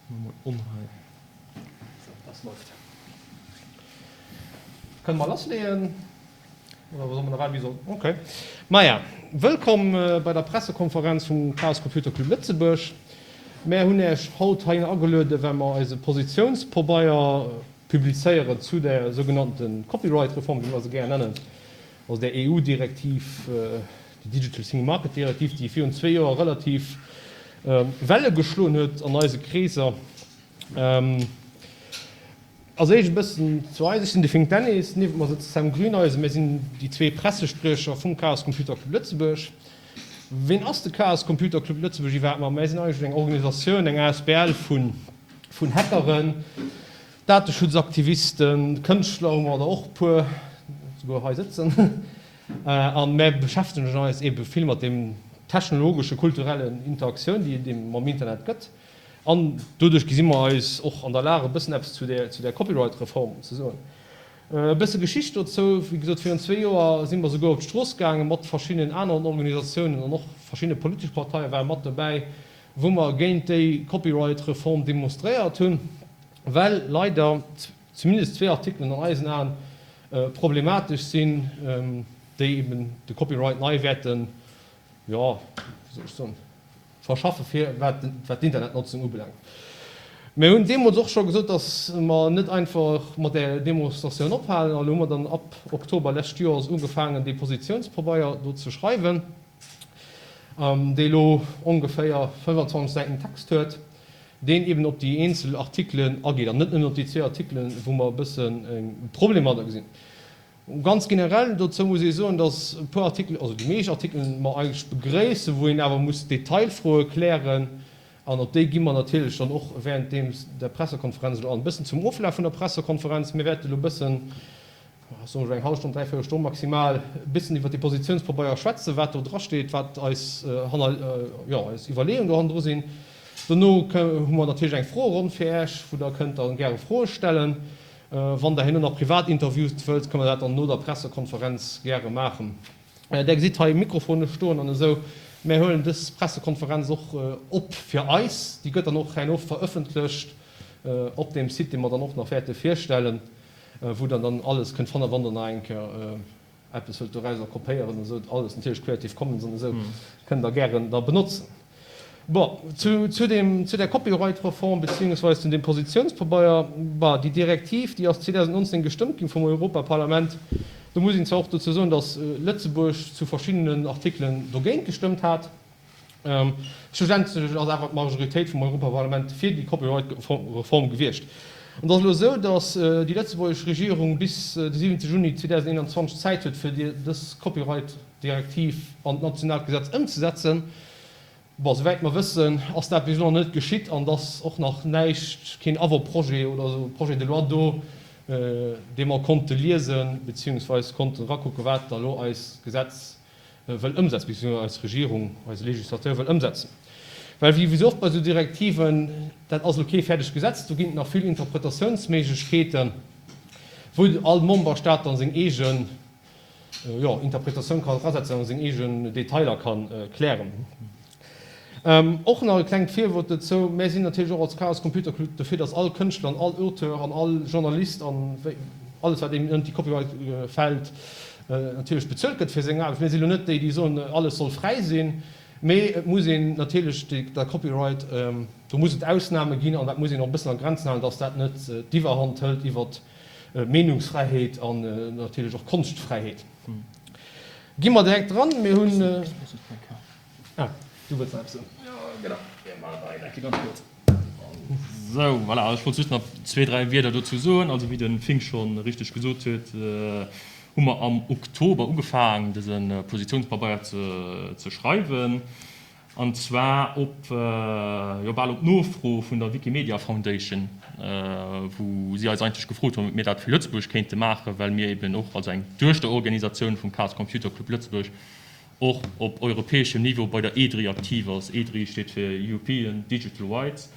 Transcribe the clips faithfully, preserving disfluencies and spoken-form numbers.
Mol on hei. So, das läuft. Kënne mer lassleeën? Oder soll mer nach waarden, wéi soll? Okay. Maja, wëllkomm bei der Pressekonferenz vum Chaos Computer Club Lëtzebuerg. Mär hunn Iech haut heihinner agelueden, well mer eise Positiounspabeier publizéieren zu der sougenannte Copyright-Reform, wéi mer se gär nennen, also där E U-Direktiv, déi Digital Single Market Direktiv, déi virun zwee Joer relativ Welle geschloen huet an eise Kreeser. Als éischt e bëssen zu eis, Ech sinn de Fink Dennis, niewent mer sëtzt de Sam Grüneisen, mir sinn déi zwee Pressespriecher vum Chaos Computer Club Lëtzebuerg. Ween ass de Chaos Computer Club Lëtzebuerg iwwerhaapt? Ma mir sinn eigentlech eng Organisatioun, eng asbl vun Hackeren, Dateschutzaktivisten, Kënschtler hu mer der och e puer souguer hei sëtzen. A mir beschäftegen eis eebe vill mat deem technologesche, kulturellen Interaktioun, déi et eebe mam Internet gëtt. An doduerch gesi mer eis och an der Lag, e bëssen eppes zu där, zu där Copyright-Reform ze soen. E bësse Geschicht dozou, Wéi gesot, virun zwee Joer si mer souguer op d'Strooss gaange mat verschiddenen aneren Organisatiounen an och verschidde politesch Parteie ware mat dobäi, wou mer géint déi Copyright-Reform demonstréiert hunn, well leider zumindest zwee Artikelen an eisen Aen problematesch sinn, déi eben de Copyright nei wäerten, jo, wéi soll ech soen, verschaffe fir wat d'Internetnotzung ubelaangt. Mir hunn deemools och scho gesot, datt mer net einfach mat där Demonstratioun ophalen. An elo hu mer dann ab Oktober lescht Joers ugefaangen, dee Positiounspabeier do ze schreiwen, dee elo ongeféier fënnefanzwanzeg Säiten Text huet, deen eben op déi eenzel Artikelen ageet an net nëmmen op déi zwee Artikelen, wou mer e bëssen e Problem mat gesinn. Ganz generell dozou muss ee soen, dass e puer Artikelen, also déi meescht Artikelen, mer eigentlech begréissen, wou een awer muss Detailfroe klären. An op déi gi mer natierlech dann och während deem der Pressekonferenz elo an. E bëssen zum Oflaf vun der Pressekonferenz, Mir wäerte elo e bëssen, soen ech eng hallef Stonn, dräiviertel Stonn maximal, e bëssen iwwert dee Positiounspabeier schwätzen, wat do drasteet, wat eis hanner, jo, eis Iwwerleeungen do hannendru sinn. Dono hu mer natierlech eng Froeronn fir Äech, wou Der kënnt dann gäre Froe stellen. Wann Der herno nach privat Interviews wëllt, kënne mer dat dann no der Pressekonferenz gäre maachen. Der gesitt hei Mikrofone stoen an esou. Mär huelen dës Pressekonferenz och op fir eis. Déi gëtt dann och herno verëffentlecht op deem Site, dee mer dann och nach wäerte virstellen, wou Der dann alles kënnt fannen, wann Der nach eng Kéier eppes wëllt dorauser kopéieren, esou, alles natierlech Creative Commons an esou, kënnt Der gären da benotzen. Bon, zu, zu deem, zu der Copyright-Reform beziehungsweise zu deem Positionspabeier, bah, déi Direktiv, déi ass zweedausendnonzéng gestëmmt ginn vum Europaparlament. Do muss een zwar och dozou soen, dass Lëtzebuerg zu verschiddenen Artikelen dogéint gestëmmt hat. Schlussendlech ass awer d'Majoritéit vum Europaparlament fir déi Copyright-Reform gewiescht. An et ass elo esou, dass déi lëtzebuergesch Regierung bis de siwente Juni zweedausendeenanzwanzeg Zäit huet, fir dës Copyright-Direktiv an d'nationaalt Gesetz ëmzesetzen. Bon, souwäit mer wëssen, ass dat bis elo nach net geschitt an et ass och nach näischt, keen Avant-projet oder esou Projet de loi do, dee mer konnte liesen, beziehungsweis konnten erakucken, wat da elo eist Gesetz wëll ëmsetzen, beziehungsweise eis Regierung, eise Législateur wëll ëmsetzen. Well wéi esou oft bei esou Direktiven, dat ass elo kee fäerdegt Gesetz, do ginn et nach vill Interpretatiounsméiglechkeeten, wou all Memberstaat dann seng eegen, jo, Interpretatioun kann erasetzen a seng eegen Detailer kann klären. Och nach e klengt Virwuert dozou, Mär sinn natierlech och als Chaos Computer Club dofir, dass all Kënschtler an all Auteur an all Journalist an alles wat eben ënnert déi Copyright fält, natierlech bezuelt gëtt fir seng Aarbecht. Mir sinn elo net déi, déi soen, alles soll fräi sinn, mee et muss een natierlech der Copyright, do muss et Ausname ginn an dat muss een och e bëssen a Grenzen halen, dass dat net d'Iwwerhand hëlt iwwert Meenungsfräiheet an natierlech och Konschtfräiheet. Gi mer direkt dran. Mir hunn. Ah, du wëlls nach eppes soen? Jo, genau. Mir maachen dat direkt ganz kuerz. Sou, voilà, ech wollt just nach zwee, dräi Wierder dozou soen. Also, wéi de Fink scho richteg gesot huet, hu mer am Oktober ugefaang, dëse Positiounspabeier ze schreiwen. An zwar op, jo, bal op Nofro vun der Wikimedia Foundation, wou si eis eigentlech gefrot hunn, ob mir dat fir Lëtzebuerg kéinte maachen, well mir eben och als eng Duechterorganisatioun vum Chaos Computer Club Lëtzebuerg och op europäeschem Niveau bei der EDRI aktiv ass. EDRI steet fir European Digital Rights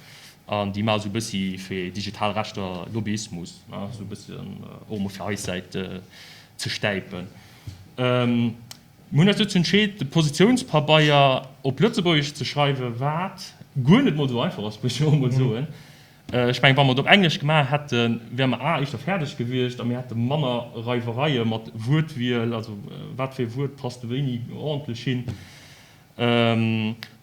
an déi maache sou e bëssi fir digital Rechter Lobbyismus, sou e bëssen och emol fir eis Säit ze stäipen. Mir hunn eis dozou entscheet, de Positiounspabeier op Lëtzebuergesch ze schreiwen, wat guer net mol esou einfach ass, muss ech och emol soen. Ech mengen, wa mer et op Englesch gemaach hätten, wäre mer a éischter fäerdeg gewiescht a mir hätte manner Reiwereie mat Wuertwiel, also wat fir e Wuert passt wéini ordentlech hin.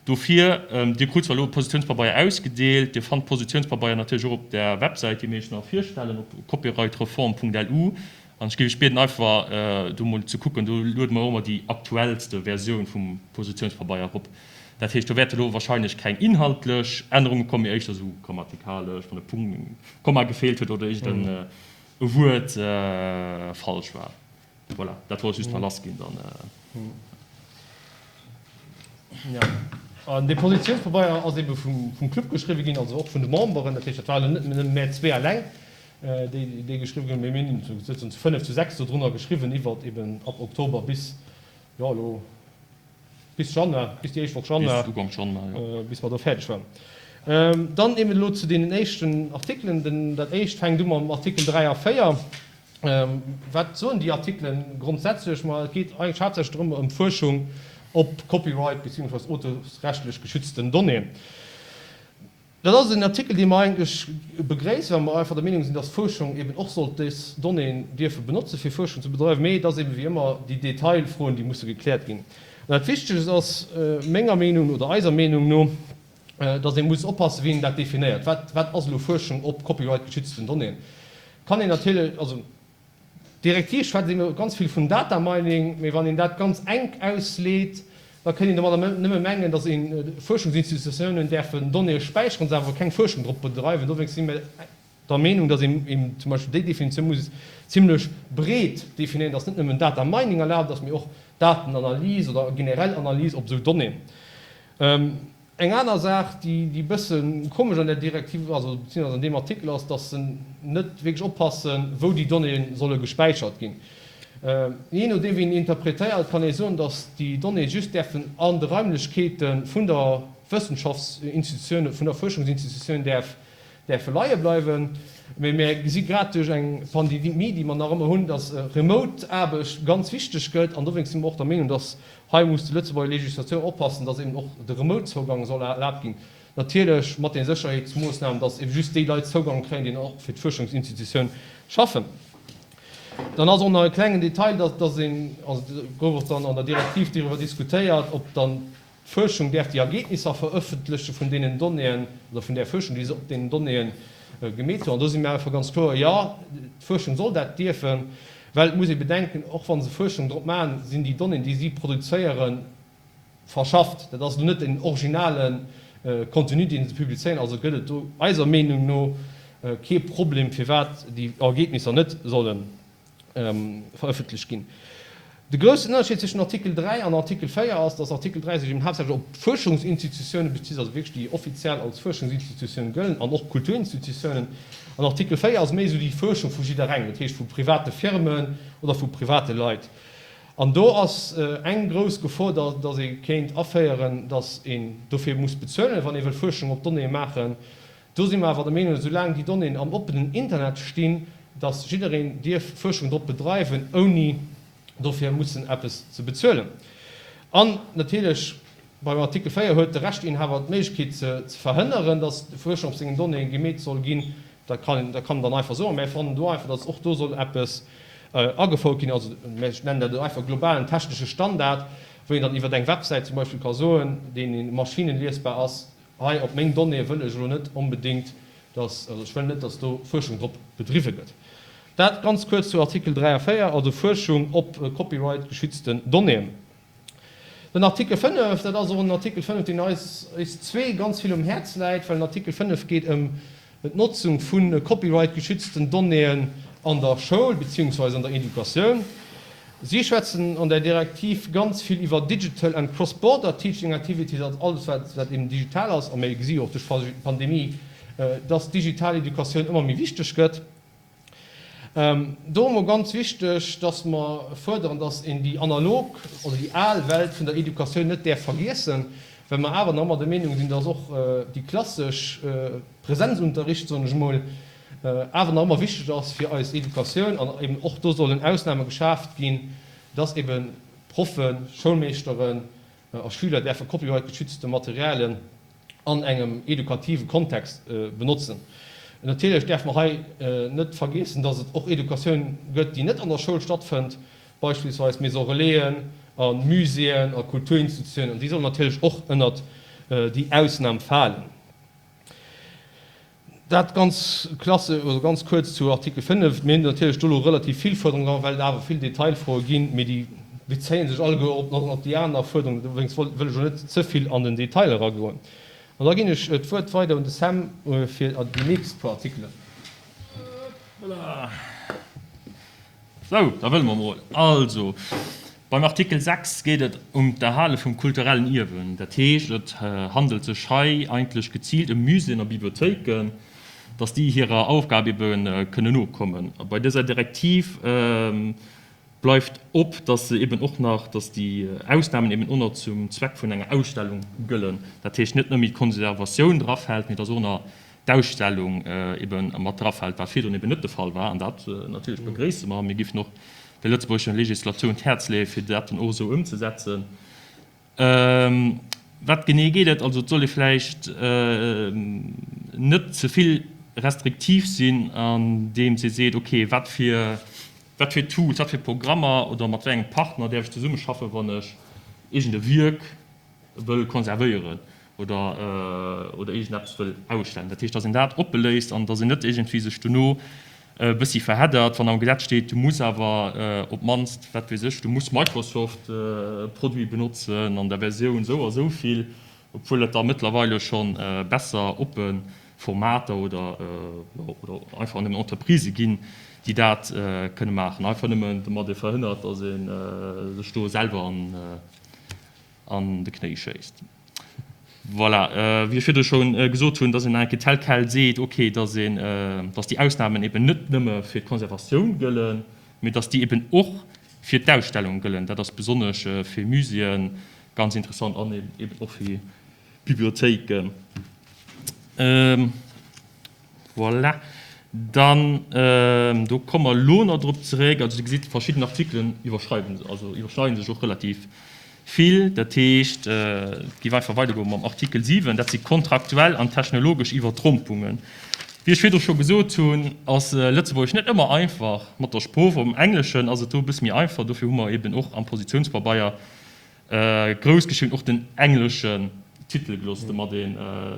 Dofir, Dir krut zwar elo e Positiounspabeier ausgedeelt, Dir fannt d'Positiounspabeier natierlech och op der Websäit, déi mir Iech nach virstellen, op copyrightreform punkt lu. An ech géif Iech bieden, einfach do mol ze kucken, do luede mer och ëmmer déi aktuellste Versioun vum Positiounspabeier erop. Dat heescht, do wäerte lo wahrscheinlech keng inhaltlech Ännerunge kommen, mee éischter esou grammatikalesch, wann e Punkt, e Komma gefeelt huet oder iergend e Wuert falsch war. Voilà, dat wollt ech just nach lassginn dann. Jo, an dee Positiounspabeier ass eebe vum Club geschriwwe ginn, also och vun de Memberen. Dat heescht, dat waren elo net nëmme mär zwee eleng, déi dee geschriwwen hunn, mee mir hunn souzesoen zu fënnef, zu sechs dodrunner geschriwwen iwwert eeben ab Oktober bis, jo, elo bis Januar, bis déi éischt Woch Januar, Bis Ugank Januar, jo. bis mer do fäerdeg waren. Dann eben elo zu deenen éischten Artikelen. Den, dat éischt fänkt u mam Artikel dräi a véier. Wat soen déi Artikelen grondsätzlech? Ma et geet eigentlech haaptsächlech drëm, ëm d'Fuerschung op Copyright beziehungsweise auteursrechtlech geschützten Donnéeën. Dat ass en Artikel, dee mer eigentlech begréissen, well mer einfach der Meenung sinn, dass d'Fuerschung eben och sollt dës Donnéeën dierfe benotzen, fir Fuerschung ze bedreiwen. Mee et ass eben wéi ëmmer déi Detailfroen, déi musse gekläert ginn. An dat Wichtegst ass menger Meenung oder eiser Meenung no, dass ee muss oppassen, wéi een dat definéiert. Wat, wat ass elo Fuerschung op copyright-geschützten Donnéeën? Kann een natierlech, also d'Direktiv schwätzt ebe ganz vill vun Data Mining, mee wann een dat ganz enk ausleet, da kënnt een domadder nëmme mengen, datt een Fuerschungsinstitutiounen däerfen Donnéeë späicheren, se awer keng Fuerschung drop bedreiwen. Dowéinst si mir der Meenung, datt een eben zum Beispill déi Definitioun muss zimlech breet definéieren, datt net nëmmen Data Mining erlaabt ass, mee och Datenanalyse oder generell Analyse op esou Donnéeën. Eng aner Saach, déi e bësse komesch an där Direktiv, also beziehungsweise an deem Artikel ass, dass se net wierklech oppassen, wou déi Donnéeë solle gespäichert ginn. Jee nodeem wéi een interpretéiert, kann ee soen, dass déi Donnéeë just däerfen an de Raimlechkeete vun der Wëssenschaftsinstitutioun, vun der Fuerschungsinstitutioun däerf, däerfe leie bleiwen. Mee mir gesi grad duerch eng Pandemie, déi mer nach ëmmer hunn, dass Remote-Aarbecht ganz wichteg gëtt. An dowéinst si mer och der Meenung, dass hei muss déi Lëtzebuerger Législatioun oppassen, dass eben och de Remote-Zougang soll erlaabt ginn, natierlech mat den Sécherheetsmoossnamen, dass eben just déi Leit Zougang kréien, déi och fir d'Fuerschungsinstitutioun schaffen. Dann ass och nach e klengen Detail, dass, dass een, also gouf och dann an der Direktiv doriwwer diskutéiert, ob dann D'Fuerschung däerf déi Ergebnisser verëffentleche vun deenen Donnéeën oder vun där Fuerschung, déi se op deenen Donnéeë gemeet hunn. An do si mir einfach ganz kloer, Jo, d'Fuerschung soll dat dierfen, well et muss ee bedenken, och wa se Fuerschung drop maachen, sinn déi Donnéeën, déi si produzéieren, verschafft. Dat ass elo net den originale Contenu, dee se publizéieren. Also gëtt et do eiser Meenung no kee Problem, firwat déi Ergebnisser net solle verëffentlecht ginn. De groussen Ënnerscheed zwëschen Artikel dräi an Artikel véier ass, dass Artikel dräi sech eben haaptsächlech op d'Fuerschungsinstitutiounen bezitt, also wierklech déi offiziell als Fuerschungsinstitutioun gëllen, an och Kulturinstitutiounen. An Artikel véier ass méi esou déi Fuerschung vu jidderengem, dat heescht vu private Firmen oder vu private Leit. An do ass eng grouss Gefor, dass ee kéint aféieren, dass een dofir muss bezuelen, wann ee wëll Fuerschung op Donnéeë maachen. Do si mer awer der Meenung, soulaang déi Donnéeën am oppenen Internet stinn, dass jiddereen dierf Fuerschung drop bedreiwen, ouni dofir mussen eppes ze bezuelen. An natierlech beim Artikel véier huet de Rechteinhaber d'Méiglechkeet ze verhënneren, dass Fuerschung op sengen Donnéeën gemeet soll ginn. Dat kann dat kann en dann einfach soen. Mä fannen do einfach, dass och do soll eppes agefouert ginn, also mä ech nennen dat elo einfach globalen technesche Standard, wou een dann iwwer eng Websäit zum Beispill ka soen, deen maschinenliesbar ass, Hei op meng Donnéeë wëll ech elo net onbedéngt, dass, also ech wëll net, dass do Fuerschung drop bedriwwe gëtt. Dat ganz kuerz zu Artikel dräi a véier, also Fuerschung op copyright-geschützten Donnéeën. Den Artikel fënnef, dat ass och en Artikel fënnef, deen eis, eis zwee ganz vill um Häerz läit, well den Artikel fënnef geet ëm d'Notzung vu copyright-geschützten Donnéeën an der Schoul beziehungsweise an der Educatioun. Si schwätzen an där Direktiv ganz vill iwwer digital and cross-border teaching activities, also alles, wat, wat eben digital ass. A mir gesi jo och duerch d'Pandemie, dass digital Educatioun ëmmer méi wichteg gëtt. Do emol ganz wichteg, dass mer fuerderen, dass een déi analog oder déi al Welt vun der Educatioun net däerf vergiessen, well mer awer nach ëmmer der Meenung sinn, dass och déi klassesch Präsenzunterricht, soen ech emol, awer nach ëmmer wichteg ass fir eis Educatioun an eben och do sollen Ausnahme geschaaft ginn, dass eben Proffen, Schoulmeeschteren a Schüler däerfe copyright-geschützte Materialien an engem edukative Kontext benotzen. Natierlech däerfe mer hei net vergiessen, dass et och Educatioun gëtt, déi net an der Schoul stattfënnt, beispillsweis Maisons Relaisen a Muséeën a Kulturinstitutiounen, an déi sollen natierlech och ënnert déi Ausnam falen. Dat ganz klasse, also ganz kuerz zu Artikel fënnef. Mir hunn natierlech do elo relativ vill Fuerderungen dran, well et awer vill Detailfroe ginn, mee déi bezéie sech alleguer op op déi aner Fuerderungen. Dowéinst wëll ech elo net ze vill an den Detail eragoen. An da ginn ech d'Wuert weider un de Sam fir déi nächst puer Artikelen. Voilà. Sou, da wëlle mer emol. Also, beim Artikel sechs geet et ëm d'Erhale vum kulturellen Ierwen. Dat heescht, et handelt sech hei eigentlech geziilt ëm Muséeën a Bibliothéiken, dass déi hirer Aufgab ebe kënnen nokommen. A bei dëser Direktiv bleift op, dass se eben och nach, dass déi Ausnamen eben och nach zum Zweck vun enger Ausstellung gëllen. Dat heescht, net nëmme d'Konservatioun drafält, mee dass och nach d'Ausstellung ebe mat drafält, wat virdrun eben net de Fall war. An dat natierlech begréisse mer. Mir géifen och der lëtzebuergescher Legislatioun d'Häerz leeë fir dat dann och esou ëmzesetzen. Wat genee geet et? Also et soll ee vläicht net ze vill restriktiv sinn, andeems ee seet, okay, wat fir, wat fir Tools, wat fir Programmer oder mat wéi engem Partner däerf ech zesummeschaffen, wann ech iergend e Wierk wëll konservéieren oder oder iergendeppes wëll ausstellen. Dat heescht, datt een dat oppe léisst an datt een net iergendwéi sech dono e bëssi verheddert, wann am Gesetz steet, du muss awer op d'mannst, wat weess ech, du muss Microsoft-Produite benotzen an der Versioun esou a sou vill, obwuel et der mëttlerweile scho besser oppe Formater oder, jo, oder einfach nëmmen Entreprisë ginn, déi dat kënne maachen. Einfach nëmmen, domat ee verhënnert, datt ee sech do selwer an de Knéi schéisst. Voilà, wéi ech virdru scho gesot hunn, dass een nach eng Kéier tel quel seet, okay, dass een, dass déi Ausnahmen eben net nëmme fir d'Konservatioun gëllen, mee dass déi eben och fir d'Ausstellung gëllen. Dat ass besonnesch fir Muséeë ganz interessant an eben och fir Bibliothéiken. Voilà. Dann, do komme mer elo nach drop zeréck. Also Dir gesitt, verschidden Artikelen iwwerschreiwen, also iwwerschneiden sech och relativ vill. Dat heescht, et géif einfach weidergoe mam Artikel siwen, dat si kontraktuell an technologesch Iwwertrompungen. Wéi ech virdru scho gesot hunn, ass Lëtzebuergesch net ëmmer einfach mat der Sprooch. Am Engleschen ass et do e bësse méi einfach. Dofir hu mer eeben och am Positiounspabeier grouss geschriwwen och den engleschen Titel gelooss, domat ee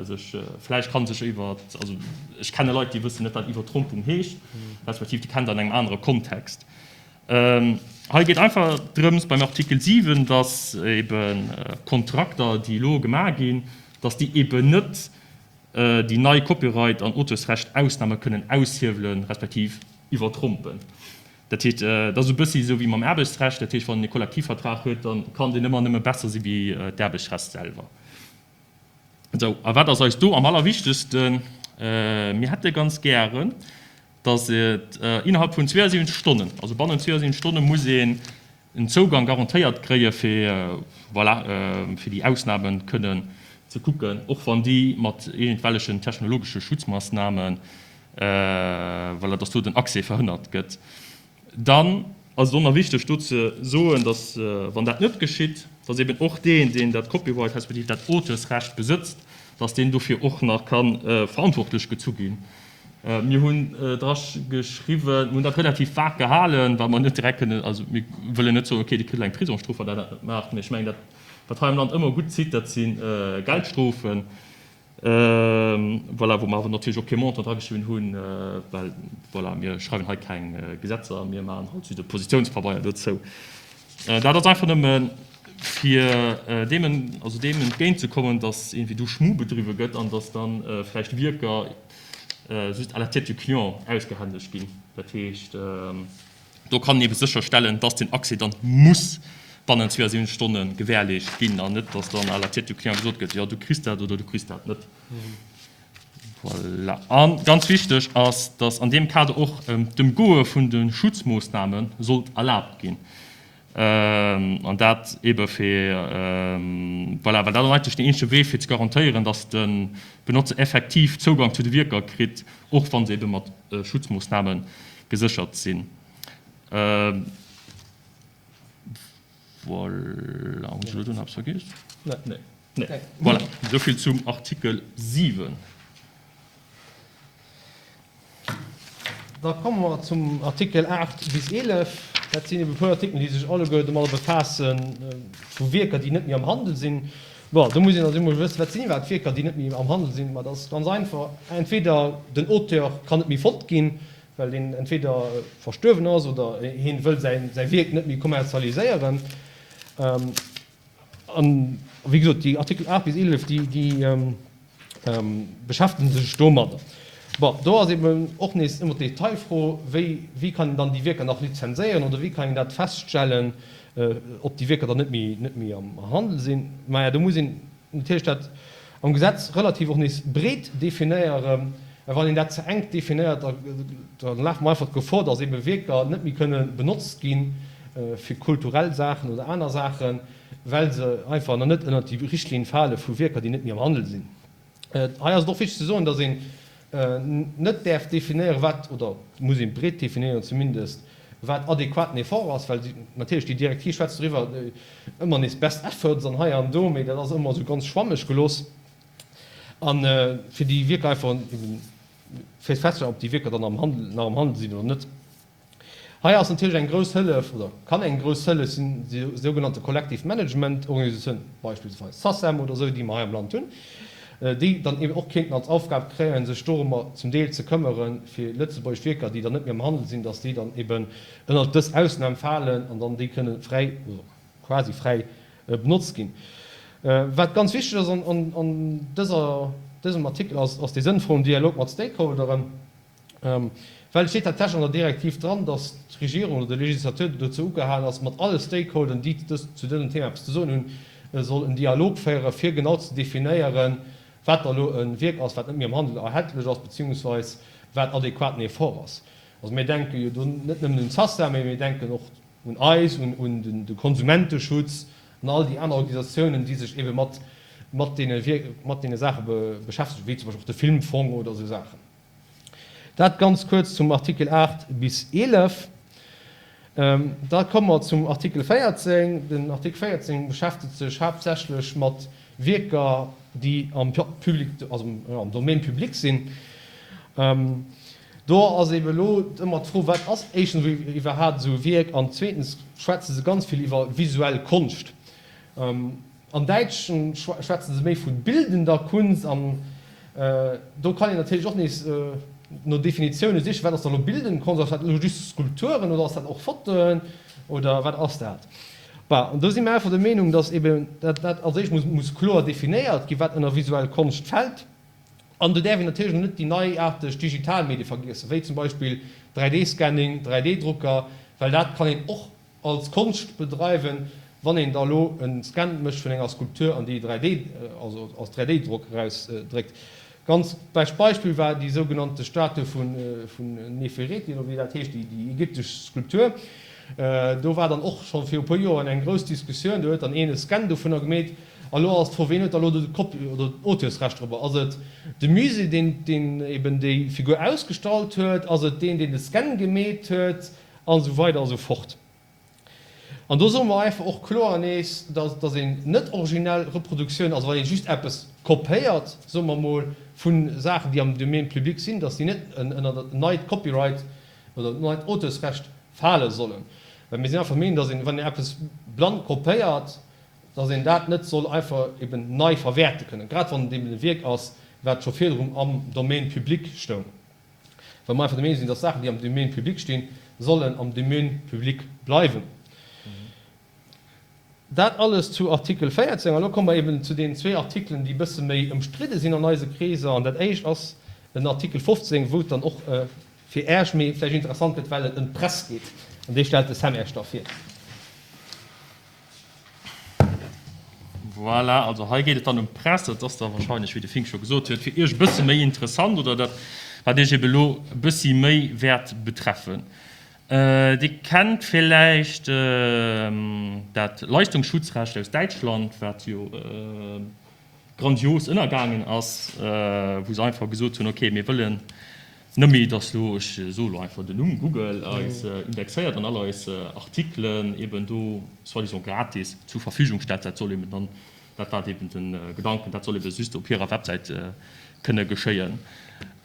sech vläicht kann sech iwwer, also ech kenne Leit, déi wëssen net, wat Iwwertrompung heescht, respektiv déi kennen dat an engem anere Kontext. Hei geet einfach drëms beim Artikel siwen, dass ebe Kontrakter, déi elo gemaach ginn, dass déi eben net déi nei Copyright an Auteursrecht-Ausname kënnen aushiewelen, respektiv iwwertrompen. Dat heescht, et ass e bëssi esou wéi mam Aarbechtsrecht, dat heescht, wann een e Kollektivvertrag huet, da kann deen ëmmer nëmme besser si wéi d'Aarbechtsrecht selwer. Esou, a wat ass eis do am allerwichtegsten? Mir hätte ganz gären, dass et innerhalb vun zweeënsiwwenzeg Stonnen, also bannent zweeënsiwwenzeg Stonne muss een en Zougang garantéiert kréie fir, voilà, fir déi Ausnamen kënnen ze kucken, och wann déi mat iergendwellechen technologesche Schutzmassnamen, voilà, dass do den Accès verhënnert gëtt. Dann ass et och nach wichteg do ze soen, dass, wann dat net geschitt, dass eben och deen, deen dat Copyright respektiv dat Auteursrecht besëtzt, dass deen dofir och nach ka verantwortlech gezu ginn. Mir hunn dra geschriwwen, mir hunn dat relativ vag gehalen, well mer net direkt kënnen, also mir wëllen net soen, okay, Dir kritt elo eng Prisongsstrof, wann Der dat net maacht, mee ech mengen, dat, wat hei am Land ëmmer gutt zitt, dat si Geldstrofen, voilà, wou mer awer natierlech och kee Montant drageschriwwen hunn, well, voilà, mir schreiwen hei keng Gesetzer, mir maachen halt just e Positiounspabeier dozou. Dat ass einfach nëmme fir deem, also deem entgéintzekommen, dass iergendwéi do Schmu bedriwwe gëtt an dass dann vläicht Wierker just à la tête du client ausgehändegt ginn. Dat heescht, do kann een ebe sécherstellen, dass den Accès dann muss bannent zweeënsiwwenzeg Stonne gewährleescht ginn an net, dass dann à la tête du client gesot gëtt, jo, du kriss dat oder du kriss dat net. Voilà. A ganz wichteg ass, dass an deem Kader och d'Ëmgoe vun de Schutzmoossname sollt erlaabt ginn. An dat ebe fir, voilà, well dat ass eigentlech deen eenzege Wee fir ze garantéieren, dass de Benotzer effektiv Zougang zu de Wierker kritt, och wa se ebe mat Schutzmoossname geséchert sinn. Voilà, hunn ech elo do nach eppes vergiess? Nee. Nee. Voilà, esou vill zum Artikel siwen. Da komme mer zum Artikel aacht bis eelef. Dat sinn ebe puer Artikelen, déi sech alleguer domadder befaasse vu Wierker, déi net méi am Handel sinn. Bon, do muss een also emol wëssen, wat sinn iwwerhaapt Wierker, déi net méi am Handel sinn? Ma dat ass ganz einfach, Entweder den Auteur kann net méi fonnt ginn, well deen entweder verstuerwen ass oder hien wëll säi Wierk net méi kommerzialiséieren. An wéi gesot, déi Artikel aacht bis eelef, déi beschäftegen sech domadder. Bon, do ass eben och nees ëmmer d'Detailfro, wéi, wéi kann een dann déi Wierker nach lizenséieren oder wéi kann een dat feststellen, ob déi Wierker dann net méi, net méi am Handel sinn. Maja, do muss een natierlech dat am Gesetz relativ och nees breet definéieren, well wann een dat ze enk definéiert, da, da lafe mer einfach d'Gefor, dass ebe Wierker net méi kënne benotzt gi fir kulturell Saachen oder aner Saachen, well se einfach nach net ënnert déi Richtlinn fale vu Wierker, déi net méi am Handel sinn. Hei ass et och wichteg ze soen, dass een net däerf definéieren, wat, oder muss ee breet definéieren zumindest, wat adequaten Effort ass, well natierlech déi Direktiv schwätzt doriwwer, ëmmer nees best efforts an hei an do, mee dat ass ëmmer esou ganz schwammeg gelooss. A fir déi Wierker einfach eben fir festzestellen, ob déi Wierker dann am Handel, nach am Handel sinn oder net. Hei ass natierlech eng grouss Hëllef, oder kann eng grouss Hëllef sinn, déi sougenannte Collective Management Organisatioun, beispillsweis SACEM oder esou, déi mer hei am Land hunn, déi dann eben och kéinten als Aufgab kréien, sech dorëmmer zum Deel ze këmmere fir lëtzebuergesch Wierker, déi dann net méi am Handel sinn, dass déi dann eben ënnert dës Ausnam falen an dann déi kënne fräi oder quasi fräi benotzt ginn. Wat ganz wichteg ass an dëser, dësem Artikel ass, ass dee sënnvollen Dialog mat Stakeholderen, well et steet tatsächlech an der Direktiv dran, dass d'Regierung oder de Législateur dozou ugehalen ass, mat alle Stakeholderen, déi dës, zu dësem Thema eppes ze soen hunn, soll en Dialog féieren, fir genau ze definéieren, wat da elo e Wierk ass, wat net méi am Handel erhältlech ass, beziehungsweis wat adequaten Effort ass. Also mir denke jo do net nëmmen un d'SACEM, mä mir denken och un eis, un de Konsumenteschutz an all déi aner Organisatiounen, déi sech ebe mat mat deene mat deene Saache beschäftegen, wéi zum Beispill och de Filmfong oder esou Saachen. Dat ganz kuerz zum Artikel aacht bis eelef. Da komme mer zum Artikel véierzéng. Den Artikel véierzéng beschäftegt sech haaptsächlech mat Wierker, déi am Public, also am Domaine public sinn. Do ass eeben elo ëmmer d'Fro, Wat ass éischtens iwwerhaapt esou e Wierk? An zweetens schwätze se ganz vill iwwer visuell Konscht. Am Däitschen schwätze se méi vu bildender Kunst. An do kann een natierlech och nees no Definitioune sichen, Wat ass da elo bildend Konscht? Ass dat elo just Skulpturen oder ass dat och Fotoen oder wat ass dat? Bon, an do si mir einfach der Meenung, dass eeben dat als éischt muss kloer definéiert ginn, wat ënner visuell Konscht fält. An do däerf een natierlech och net déi neiaarteg digital Medie vergiessen, wéi zum Beispill dräi D Scanning, dräi D Drucker, well dat kann een och als Konscht bedreiwen, wann een da elo e Scan mécht vun enger Skulptur an déi dräi D, also als dräi D Drock erausdréckt. Ganz bescht Beispill war déi sougenannte Statue vun Nefereti, oder wéi dat heescht, déi ägyptesch Skulptur. Do war dann och scho viru puer Joren eng grouss Diskussioun. Do huet dann een e Scan dovunner gemeet. A lo ass d'Fro, ween huet da lo de Copy oder d'Auteursrecht dorobber? Ass et de Musée, deen deen eben déi Figur ausgestallt huet? Ass et deen, deen de Scan gemeet huet? An esou weider a sou fort. An do soe mer einfach och kloer nees, dass dass een net originell Reproduktioun, also wann ee just eppes kopéiert, soe mer emol, vu Saachen, déi am Domaine public sinn, dass déi net ënner dat neit Copyright oder dat neit Auteursrecht fale sollen. Well mir sinn einfach der Meenung, dass een, wann een eppes blann kopéiert, dass een dat net soll einfach eben nei verwäerte kënnen, grad wann et eben e Wierk ass, wat scho virdrun am Domaine public stoung. Well mer einfach der Meenung sinn, dass Saachen, déi am Domaine public stinn, sollen am Domaine public bleiwen. Dat alles zu Artikel véierzéng. An elo komme mer eben zu deenen zwee Artikelen, déi e bësse méi ëmstridde sinn an eise Kreeser. An dat éischt ass den Artikel fofzéng, wou et dann och fir Äech méi vläicht interessant gëtt, well et ëm d'Press geet. An dee stellt de Sam Äech da vir. Voilà, also hei geet et dann ëm d'Press. Dat ass da wahrscheinlech, wéi de Fink scho gesot huet, fir Iech e bësse méi interessant oder dat, wat Iech ebe elo e bëssi méi wäert betreffen. Dir kennt villäicht dat Leistungsschutzrecht aus Däitschland, wat jo grandios ënnergaangen ass, wou se einfach gesot hunn, okay, mir wëllen net méi, dass elo, ech soe lo einfach den Numm, Google eis indexéiert an all eis Artikelen eben do soi-disant gratis zur Verfügung stellt. Dat soll eben dann, dat war eben de Gedanken, dat soll ebe just op hirer Websäit kënne geschéien.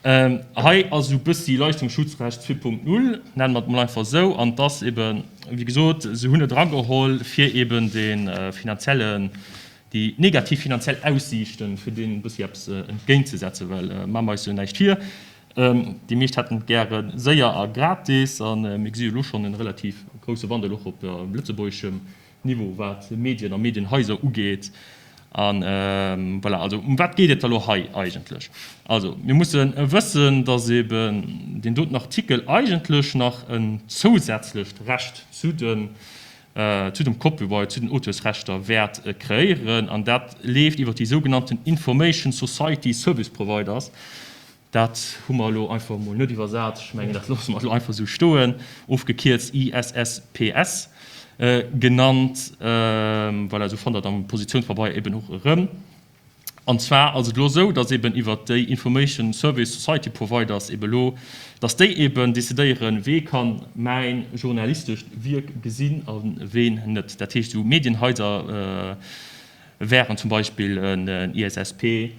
Hei ass esou e bëssi Leistungsschutzrecht zwee Punkt null, nenne mer et mol einfach esou, an et ass eben, wéi gesot, se hunn et erageholl, fir eben de finanziellen, déi negativ finanziell Aussiichten, fir deenen e bëssi eppes entgéintzesetzen, well maache mer eis jo näischt vir, déi meescht hätten et gäre séier a gratis, a mir gesi jo elo schonn e relativ grousse Wandel och op lëtzebuergeschem Niveau, wat Medien a Medienhaiser ugeet. A voilà, also ëm wat geet et da elo hei eigentlech? Also mir musse wëssen, dass eben deen doten Artikel eigentlech nach en zousätzlecht Recht zu den, zu dem Copyright, zu den Auteursrechter wäert kreéieren, an dat leeft iwwert déi sougenannten Information Society Service Providers. Dat hu mer elo einfach emol net iwwersat, ech mengen, dat loosse mer elo einfach esou stoen, ofgekierzt I S S P S genannt. Voilà, esou fannt Der et am Positiounspabeier eben och erëm. An zwar ass et elo esou, dass eben iwwert déi Information Service Society Providers eben elo, dass déi eben decidéieren, wee ka mäin journalistescht Wierk gesinn a ween net. Dat heescht, esou Medienhaiser wären zum Beispill en I S S P.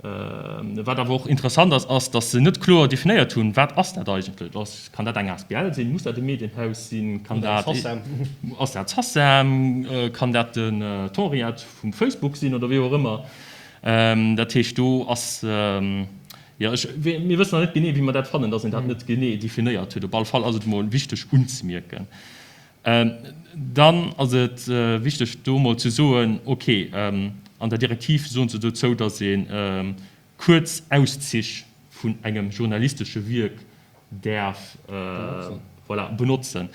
Wat awer och interessant ass, ass, dass se net kloer definéiert hunn, wat ass dat eigentlech? Ass, kann dat eng A S B L sinn? Muss dat e Medienhaus sinn? Kann dat, ass dat SACEM? Kann dat den d'Henriette vum Facebook sinn oder wéi och ëmmer? Dat heescht, do ass, jo, ech, mir wëssen nach net genee, wéi mer dat fannen, dass een dat net genee definéiert huet. Op alle Fall ass et emol wichteg unzemierken. Dann ass et wichteg do emol ze soen, okay, an der Direktiv soen se dozou, datt ee kuerz Auszich vun engem journalistesche Wierk däerf, voilà, benotzen.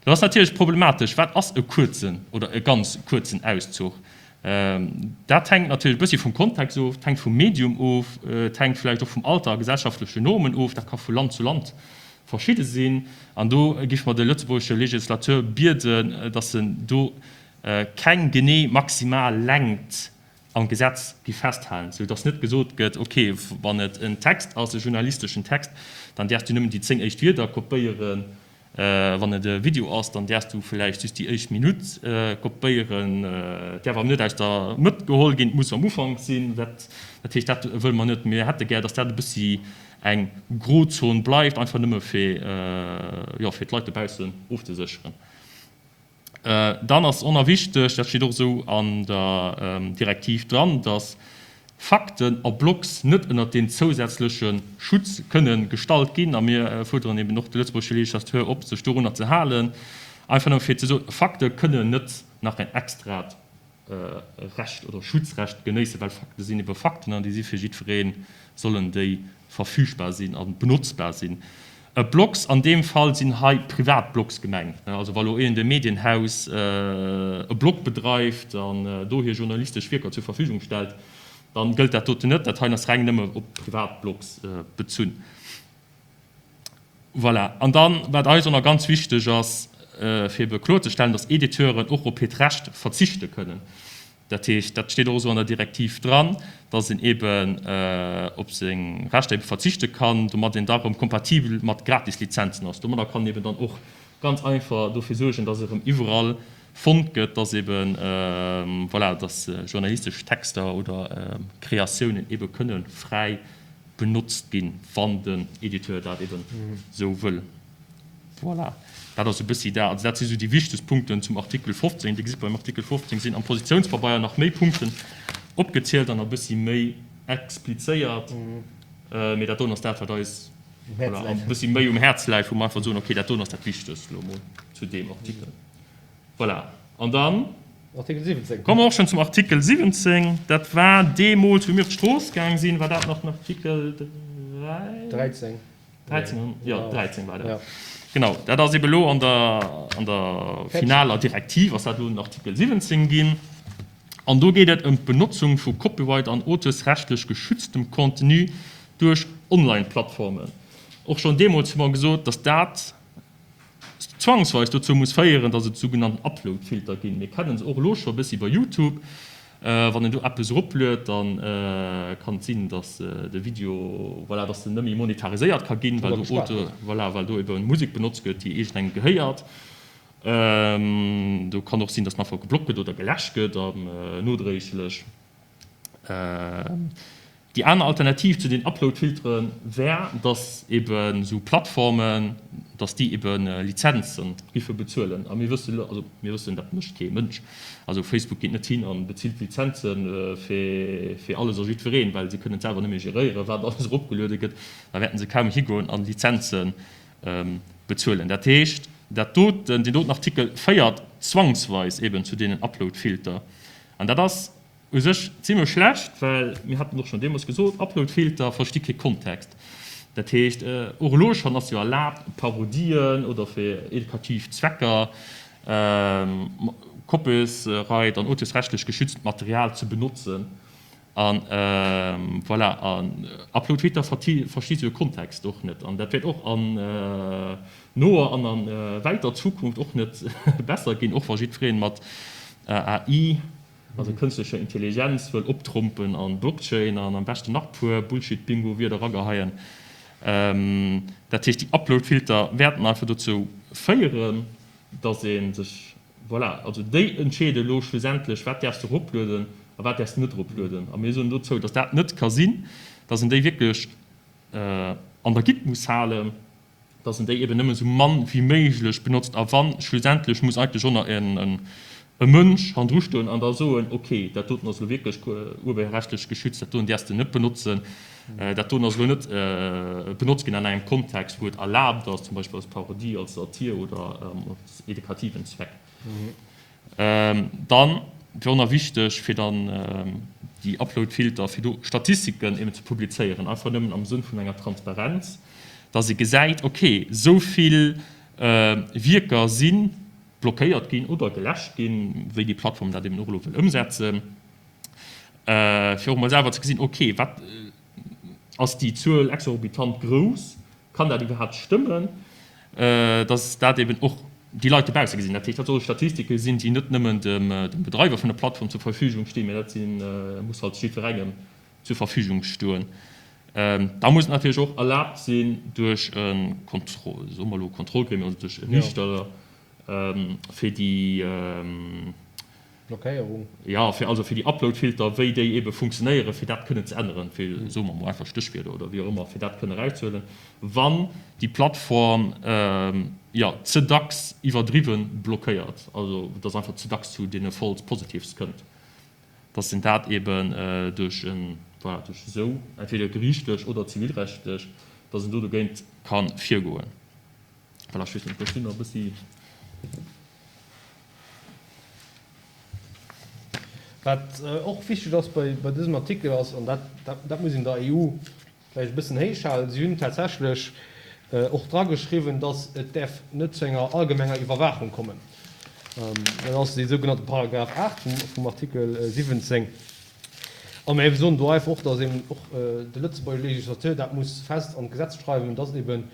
Dat ass natierlech problematesch. Wat ass e kuerzen oder e ganz kuerzen Auszuch? Dat hänkt natierlech e bëssi vum Kontext of, et hänkt vum Medium of, et hänkt vläicht och vum Alter a gesellschaftlechen Normen of. Dat ka vu Land zu Land verschidde sinn. An do géife mer de lëtzebuergesche Législateur bieden, dass en do keng genee maximal Längt am Gesetz gi festhalen, sou dass net gesot gëtt, okay, wann et en Text ass, e journalisteschen Text, dann däerfs du nëmmen déi zéng éischt Wierder kopéieren, wann et e Video ass, dann däerfs du vläicht just déi éischt Minutt kopéieren, et däerf awer net aus der Mëtt geholl ginn, et muss am Ufank sinn. Dat heescht, dat wëlle mer net. Mir hätte gär, dass dat e bëssi eng Grozon bleift, einfach nëmme fir, jo, fir d'Leit dobaussen ofzesécheren. Dann ass och nach wichteg, dat steet och esou an der Direktiv dran, dass Fakten a Blogs net ënnert deen zousätzleche Schutz kënne gestallt ginn. A mir fuerderen eben och de lëtzebuergesche Législateur op, sech dorunner ze halen, einfach nëmme fir ze soen, Fakte kënnen net nach en extrat Recht oder Schutzrecht genéissen, well Fakte sinn ebe Fakten an déi si fir jiddweree sollen déi verfügbar sinn a benotzbar sinn. Blogs, an deem Fall sinn hei privat Blogs gemengt. Also wa lo iergend e Medienhaus e Blog bedreift an do hir journalistesch Wierker zur Verfügung stellt, dann gëllt dat doten net. Dat heien ass reng nëmme op privat Blogs bezunn. Voilà. An dann, wat eis och nach ganz wichteg ass, fir ebe kloerzestellen, dass Editeuren och op hiert Recht verzichte kënnen. Dat heescht, dat steet och esou an der Direktiv dran, dass een eben op seng Rechter ebe verzichte kann, domat een da erëm kompatibel mat Gratislizenzen ass. Domadder kann een eben dann och ganz einfach dofir suergen, dass erëm iwwerall fonnt gëtt, dass eben, voilà, dass journalistesch Texter oder Kreatiounen ebe kënne fräi benotzt ginn, wann den Editeur dat eben esou wëll. Voilà, dat ass e bëssi dat. Also dat si sou déi wichtegst Punkten zum Artikel fofzéng. Dir gesitt, beim Artikel fofzéng sinn am Positiounspabeier nach méi Punkten opgezielt an e bëssi méi explizéiert. Mee dat doen ass dat, wat eis, voilà, e bëssi méi um Häerz läit, wou mer einfach soen, okay, dat doen ass dat Wichtegst elo emol zu deem Artikel. Voilà, an dann komme mer och schonn zum Artikel siwwenzéng. Dat war deemools, wou mir op d'Strooss gaang sinn, war dat nach den Artikel dräi? dräizéng. dräizéng, jo, dräizéng war dat. Genau, dat ass ebe elo an der, an der finaler Direktiv ass dat elo den Artikel siwwenzéng ginn. An do geet et ëm d'Benotzung vu copyright an auteursrechtlech geschütztem Contenu duerch Online-Plattformen. Och schonn deemools hu mer gesot, dass dat zwangsweis dozou muss féieren, dass et sougenannten Upload-Filter ginn. Mir kennen se och elo scho e bëssi bei YouTube. Wann een do eppes eropluet, da kann et sinn, dass de Video, voilà, dass en net méi monetariséiert ka ginn, well do Auteur, voilà, well do ebe Musek benotzt gëtt, déi iergendengem gehéiert. Do kann och sinn, dass en einfach geblockt gëtt oder geläscht gëtt an nodréiglech. Déi aner Alternativ zu den Uploadfiltere wär, dass eben esou Plattformen, dass déi eben Lizenze giffe bezuelen. A mir wëssen elo, also mir wëssen, dat mécht kee Mënsch. Also Facebook geet net hin a bezilt Lizenze fir fir alles a jiddwereen, well si kënnen et selwer net méi geréieren, wat alles eropgeluede gëtt. Da wäerten se kaum higoen a Lizenze bezuelen. Dat heescht, dat doten, deen doten Artikel féiert zwangsweis eben zu deenen Uploadfilter. An dat ass U sech zimlech schlecht, well mir haten och schonn deemools gesot, Uploadfilter versti kee Kontext. Dat heescht, och elo schonn ass jo erlaabt, Parodien oder fir edukativ Zwecker Copyright an auteursrechtlech geschützt Material ze benotzen. A voilà, an Uploadfilter versti sou e Kontext och net. An dat wäert och an noer an a wäiter Zukunft och net besser ginn, och wa jiddweree mat A I, also kënstlecher Intelligenz, wëll optrompen an Blockchain an am beschten nach puer Bullshit-Bingo-Wierder erageheien. Dat heescht, déi Upload-Filter wäerten einfach dozou féieren, dass ee sech, voilà, also déi entscheede elo schlussendlech, wat däerfs de eroplueden a wat däerfs de net eroplueden. A mir soen dozou, dass dat net ka sinn, dass een déi wierklech an der Gitt muss halen, dass en déi eben nëmmen esou mann wéi méiglech benotzt a wann, schlussendlech muss eigentlech och nach en e Mënsch hannendru stoen an da soen, ok, dat doten ass elo wierklech urheberrechtlech geschützt, dat doen däerfs de net benotzen, dat doen ass elo net benotzt ginn an engem Kontext, wou et erlaabt ass, zum Beispill als Parodie, als Satir oder als edukativen Zweck. Dann wier och nach wichteg, fir dann déi Uploadfilter, fir do Statistiken eben ze publizéieren, einfach nëmmen am Sënn vun enger Transparenz, dass ee gesäit, ok, esou vill Wierker si blockéiert ginn oder geläscht ginn, wéi déi Plattform dat eben och elo wëll ëmsetzen, fir och emol selwer ze gesinn, ok, wat ass déi Zuel exorbitant grouss, kann dat iwwerhaapt stëmmen, dass dat eben och déi Leit dobausse gesinn. Dat heescht, dat solle Statistike sinn, déi net nëmmen dem Bedreiwer vun der Plattform zur Verfügung stinn, mä dat si muss halt jiddwerengem zur Verfügung stoen. Da muss et natierlech och erlaabt sinn duerch e Kontroll, soe mer elo Kontrollgremium, also duerch e Riichter, fir déi Blockéierung, jo, fir also fir déi Uploadfilter, wéi déi eebe funktionéieren, fir dat kënnen ze änneren, fir, soe mer emol einfach Stéchwierder oder wéi och ëmmer, fir dat kënnen erauszehuelen, wann déi Plattform, jo, ze dacks iwwerdriwwe blockéiert, also dass einfach ze dacks zu deene False Positives kënnt. Dass en dat eben duerch en, voilà, duerch esou, entweder geriichtlech oder zivilrechtlech, dass en do dogéint ka virgoen. Voilà, ech weess net, ech sinn nach e bëssi. Wat och wichteg ass bei dësem Artikel ass, an dat, dat muss een der E U vläicht e bëssen héich halen, si hunn tatsächlech och drageschriwwen, dass et däerf net zu enger allgemenger Iwwerwaachung kommen. Dat ass dee sougenannte Paragraph aacht vum Artikel siwwenzéng. A mir soen do einfach och, dass eben och de Lëtzebuerger Législateur dat muss fest an d'Gesetz schreiwen, dass eben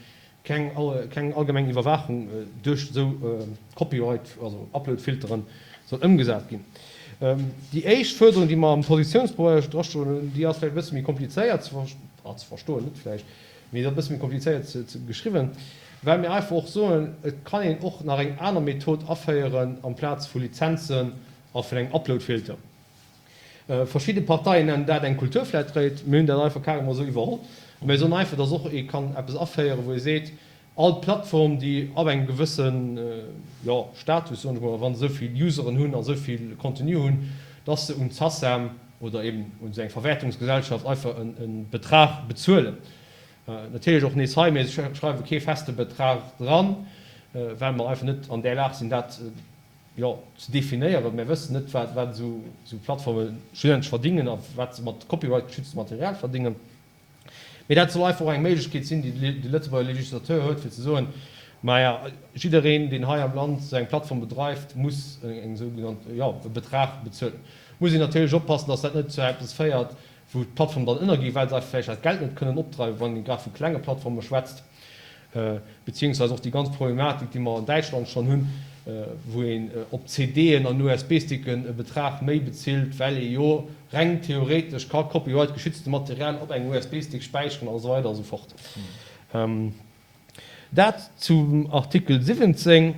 keng keng allgemeng Iwwerwaachung duerch esou Copyright, also Uploadfilteren soll ëmgesat ginn. Déi éischt Fuerderung, déi mer am Positiounspabeier drastoen hunn, déi ass vläicht e bësse méi komplizéiert ze ze verstoen, net vläicht, mee se ass e bësse méi komplizéiert ze geschriwwen, well mir einfach och soen, et kann een och nach eng aner Method aféieren amplaz vu Lizenzen a vun engem Uploadfilter. Verschidde Parteien nennen dat eng Kulturflatrate. Mir hunn dat einfach carrément esou iwwerholl. A mir soen einfach, dass och ee kann eppes aféieren, wou ee seet, all Plattform, déi ab engem gewësse, jo, Status, soen ech mol, wa se esou vill Useren hunn a esou vill Contenu hunn, dass se un d'Sacem oder eben un esou eng Verwäertungsgesellschaft einfach e Betrag bezuelen. Natierlech och nees hei, mir schreiwe kee feste Betrag dran, well mer einfach net an där Lag sinn, dat, jo, ze definéieren. Mir wëssen net, wat wat esou esou Plattforme schlussendlech verdingen a wat se mat copyright-geschütztem Material verdingen. Mee dat soll einfach och eng Méiglechkeet sinn, déi de Lëtzebuerger Législateur huet, fir ze soen, Maja, jiddereen, deen hei am Land esou eng Plattform bedreift, muss eng sougenannt, jo, e Betrag bezuelen. Muss een natierlech oppassen, dass dat net zu eppes féiert, wou d'Plattformen dann ënnerginn, well se einfach vläicht dat Geld net kënnen opdreiwen, wann ee grad vu klenge Plattforme schwätzt. Beziehungsweise och déi ganz Problematik, déi mer an Däitschland schonn hunn, wou een op C D'en an U S B-Sticken e Betrag méi bezilt, well ee jo reng theoretesch ka copyright-geschützte Material op engem U S B-Stick späicheren a sou weider a sou fort. Dat zum Artikel siwwenzéng.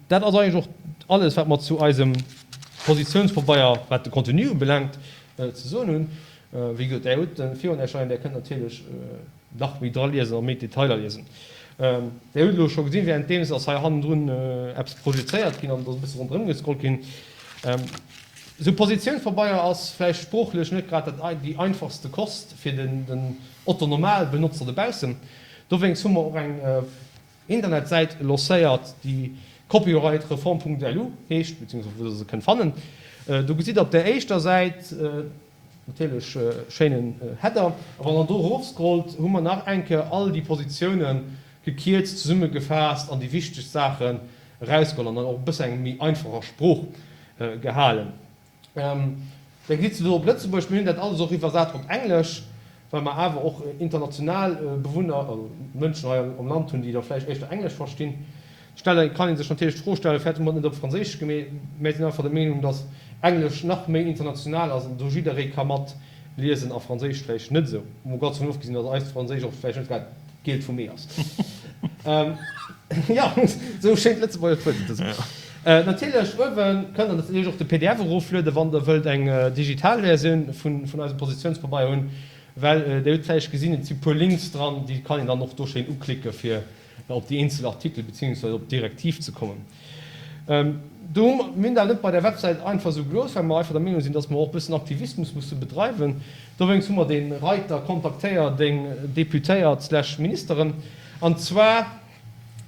Dat ass eigentlech och alles, wat mer zu eisem Positionspabeier, wat de Contenu ubelaangt, ze soen hunn. Wéi gesot, Där hutt en virun Iech leien, Där kënnt natierlech nach méi dra liesen a méi Detailer liesen. Där hutt elo scho gesinn, währenddeems ass hei hannendrun eppes projezéiert ginn an et ass e bësse ronderëm gescrollt ginn. Esou Positiounspabeier ass vläicht sproochlech net grad dat déi einfachste Kost fir den Otto-Normal-Benotzer dobaussen. Dowéinst hu mer och eng Internetsäit lancéiert, déi copyrightreform.lu heescht, beziehungsweise wou Der se kënnt fannen. Do gesitt Der op der éischter Säit natierlech schéinen Header, a wann Der do erofscrollt, hu mer nach eng Kéier all déi Positiounen gekierzt zesummegefaasst an déi wichtegst Saachen erausgeholl an dann och e bësse eng méi einfacher Sprooch gehalen. Da gesitt se do op Lëtzebuergesch. Mir hunn dat alles och iwwersat op Englesch, well mer awer och international Bewunner, also Mënschen hei am Land hunn, déi da vläicht éischter Englesch verstinn. Stelle kann ee sech natierlech d'Fro stellen, firwat hu mer et net op Franséisch gemeet? Mär sinn einfach der Meenung, datt Englesch nach méi international ass an do jidderee ka mat liesen a Franséisch vläicht net esou. Mol ganz dovun ofgesinn, datt eist Franséisch och vläicht net grad d'Gielt vum Ee ass. Jo, esou schéint Lëtzebuerger Wuert ze soen. Natierlech, uewe kënnt der natierlech och de P D F eroflueden, wann der wëllt eng digital Versioun vun eisem Positiounspabeier hunn, well Dir hutt vläicht gesinn, et si puer Links dran, déi kann een dann och do schéin uklicke fir op déi eenzel Artikel beziehungsweise op d'Direktiv ze kommen. Do hu mer, mir hunn dat net bei der Websäit einfach esou gelooss, well mer einfach der Meenung sinn, dass mer och e bëssen Aktivismus musse bedreiwen. Dowéinst hu mer dee Reiter Kontaktéier deng Deputéiert slash Ministeren. An zwar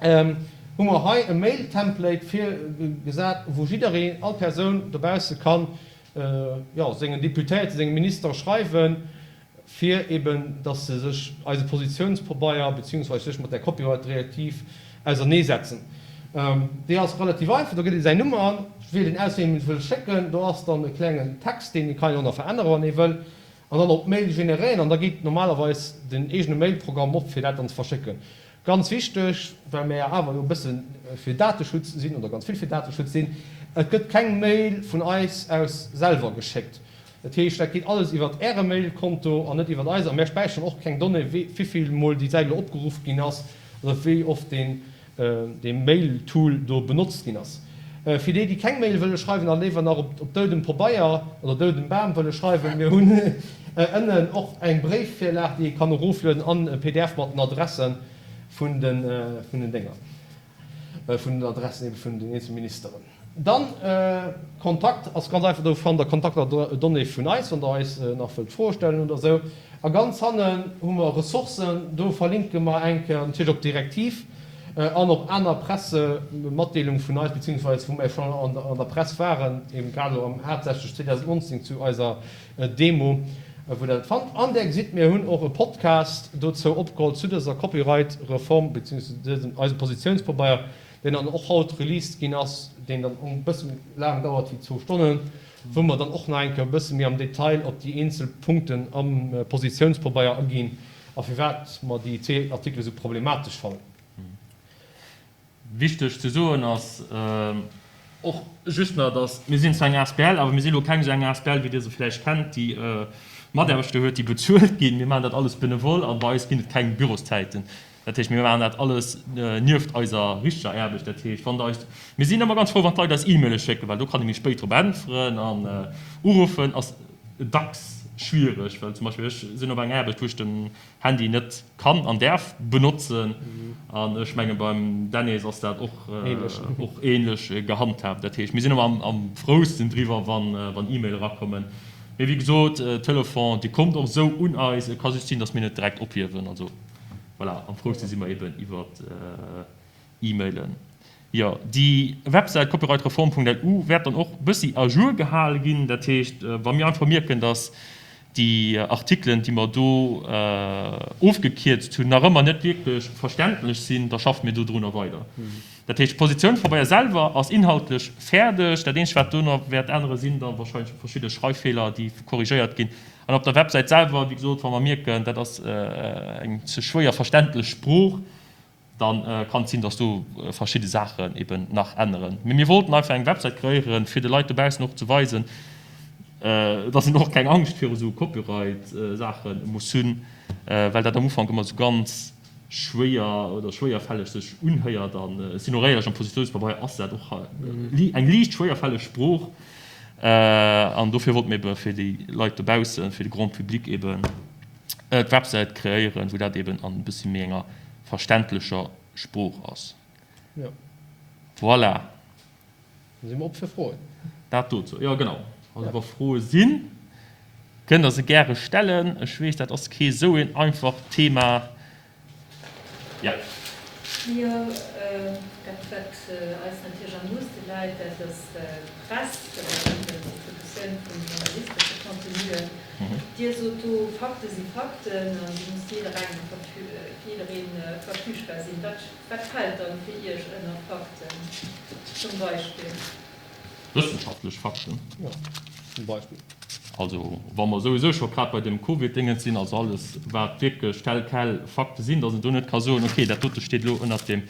hu mer hei e Mail-Template virgesat, wou jiddereen, all Persoun dobausse kann, jo, sengen Deputéierten, sengem Minister schreiwen, fir eben, dass se sech eise Positionspabeier beziehungsweise sech mat där Copyright-Direktiv auserneesetzen. Déi ass relativ einfach, do gëtt ee säin Numm an, wielt een aus, ween een wëll schécken, do ass dann e klengen Text, deen kann een och nach veränneren, wann ee wëll, an dann op Mail generéieren, an da geet normalerweis den eegene Mailprogramm op, fir dat dann ze verschécken. Ganz wichteg, well mir awer jo e bësse fir Dateschutz sinn, oder ganz vill fir Dateschutz sinn, Et gëtt keng Mail vun eis aus selwer geschéckt. Dat heescht, dat geet alles iwwert Äre Mailkonto an net iwwert eise. A mär späicheren och keng Donnée, wivill Mol déi Säit elo opgeruff ginn ass oder wéi oft deen dee Mail-Tool do benotzt ginn ass. Fir déi, déi keng Mail wëlle schreiwen a léiwer nach op doudem Pabeier oder doudem Bam wëlle schreiwen, mir hunn ënnen och eng Bréifvirlag, déi ee kann eroflueden an e P D F mat den Adresse vun den Dénger, vun den Adressen ebe vun den eenzele Ministeren. Dann, Kontakt ass ganz einfach, do fannt der Kontaktdonnéeë vun eis, wann der eis nach wëllt Froe stellen oder esou. A ganz hannen hu mer Ressourcen, do verlinke mer eng Kéier natierlech op d'Direktiv an op aner Pressematdeelunge vun eis, beziehungsweise wou mer schonn an der Press waren, eben grad elo am haaptsächlech zweedausendnonzéng zu eiser Demo, wou Der dat fannt. An Der gesitt, mir hunn och e Podcast dozou opgeholl, zu dëser Copyright-Reform, beziehungsweise dësem eisem Positiounspabeier, deen dann och haut released ginn ass, deen dann och e bësse méi laang dauert wéi zwou Stonnen, wou mer dann och nach eng Kéier e bësse méi am Detail op déi eenzel Punkten am Positiounspabeier aginn a firwat mer déi zwee Artikele sou problematesch fannen. Wichteg ze soen ass och just nach, dass mir sinn zwar eng asbl, awer mir sinn elo keng esou eng asbl, wéi Dir se vläicht kennt, déi Mataarbechter huet, déi bezuelt ginn. Mir maachen dat alles benevol a bei eis ginn et keng Bürozäiten. Dat heescht, mir maachen dat alles nieft eiser richteger Aarbecht. Dat heescht, wann Der eis, mir sinn ëmmer ganz frou, wann d'Leit eis E-Maile schécken, well do kann ee méi spéit drop äntweren. An uruffen ass dacks schwiereg, well zum Beispill ech sinn op enger Aarbecht, wou ech den Handy net kann an däerf benotzen. An ech menge beim Dennis ass dat och och änlech gehandhaabt. Dat heescht, mir sinn ëmmer am frousten driwwer, wann E-Maile erakommen. Mee wéi gesot, Telefon, Dir kommt och esou un eis. Et ka just sinn, datt mir net direkt ophiewen. Also voilà, am frouste si mer eben iwwer E-Mailen. Jo, déi Websäit copyrightreform punkt L U wäert dann och bëssi à jour gehale ginn. Dat heescht, wa mir einfach mierken, datt déi Artikelen, déi mer do ofgekierzt hunn, nach ëmmer net wierklech verständlech sinn, da schaffe mir dodrunner weider. Dat heescht, d'Positioun vun Bayer selwer ass inhaltlech fäerdeg. Dat Eenzegt, wat do nach wäert änneren, sinn da wahrscheinlech verschidde Schreiffeeler, déi korrigéiert ginn. An op der Websäit selwer, wéi gesot, wa mer mierken, dat ass eng ze schwéier verständlech Sprooch, da kann et sinn, dass do verschidde Saachen eben nach änneren. Mee mir wollten einfach eng Websäit kreéieren, fir de Leit dobaussen och ze weisen, dass een och keng Angscht viru sou Copyright-Saache muss hunn, well dat am Ufank ëmmer sou ganz schwéier oder schwéierfälleg sech unhéiert. An ech sinn och éierlech, am Positiounspabeier ass dat och eng liicht schwéierfälleg Sprooch. An dofir wollte mir ebe fir déi Leit dobaussen, fir de Grand public eben d'Websäit kreéieren, wou dat eben an e bëssi méi enger verständlecher Sprooch ass. Jo. Voilà. Da si mer op fir Froen. Dat dozou. Jo, genau. Also wa Froe sinn, kënnt Der se gäre stellen. Ech weess, dat ass kee sou een einfacht Thema. Jo. Jo, dat wat eis natierlech am nooste läit, dat ass d'Press, d'Distributioun vun journalistesche Contenuen. Dir sot do, Fakte si Fakten an déi muss jidderengem, fir jidderee verfügbar sinn. Wat, wat fält dann fir Iech ënner Fakten zum Beispill? Wëssenschaftlech Fakten. Jo, zum Beispill. Also, wa mer souwisou scho grad bei deem Covid-Déngens sinn, also alles, wat wierklech tel quel Fakte sinn, dass een do net ka soen, okay, dat dote steet elo ënnert dem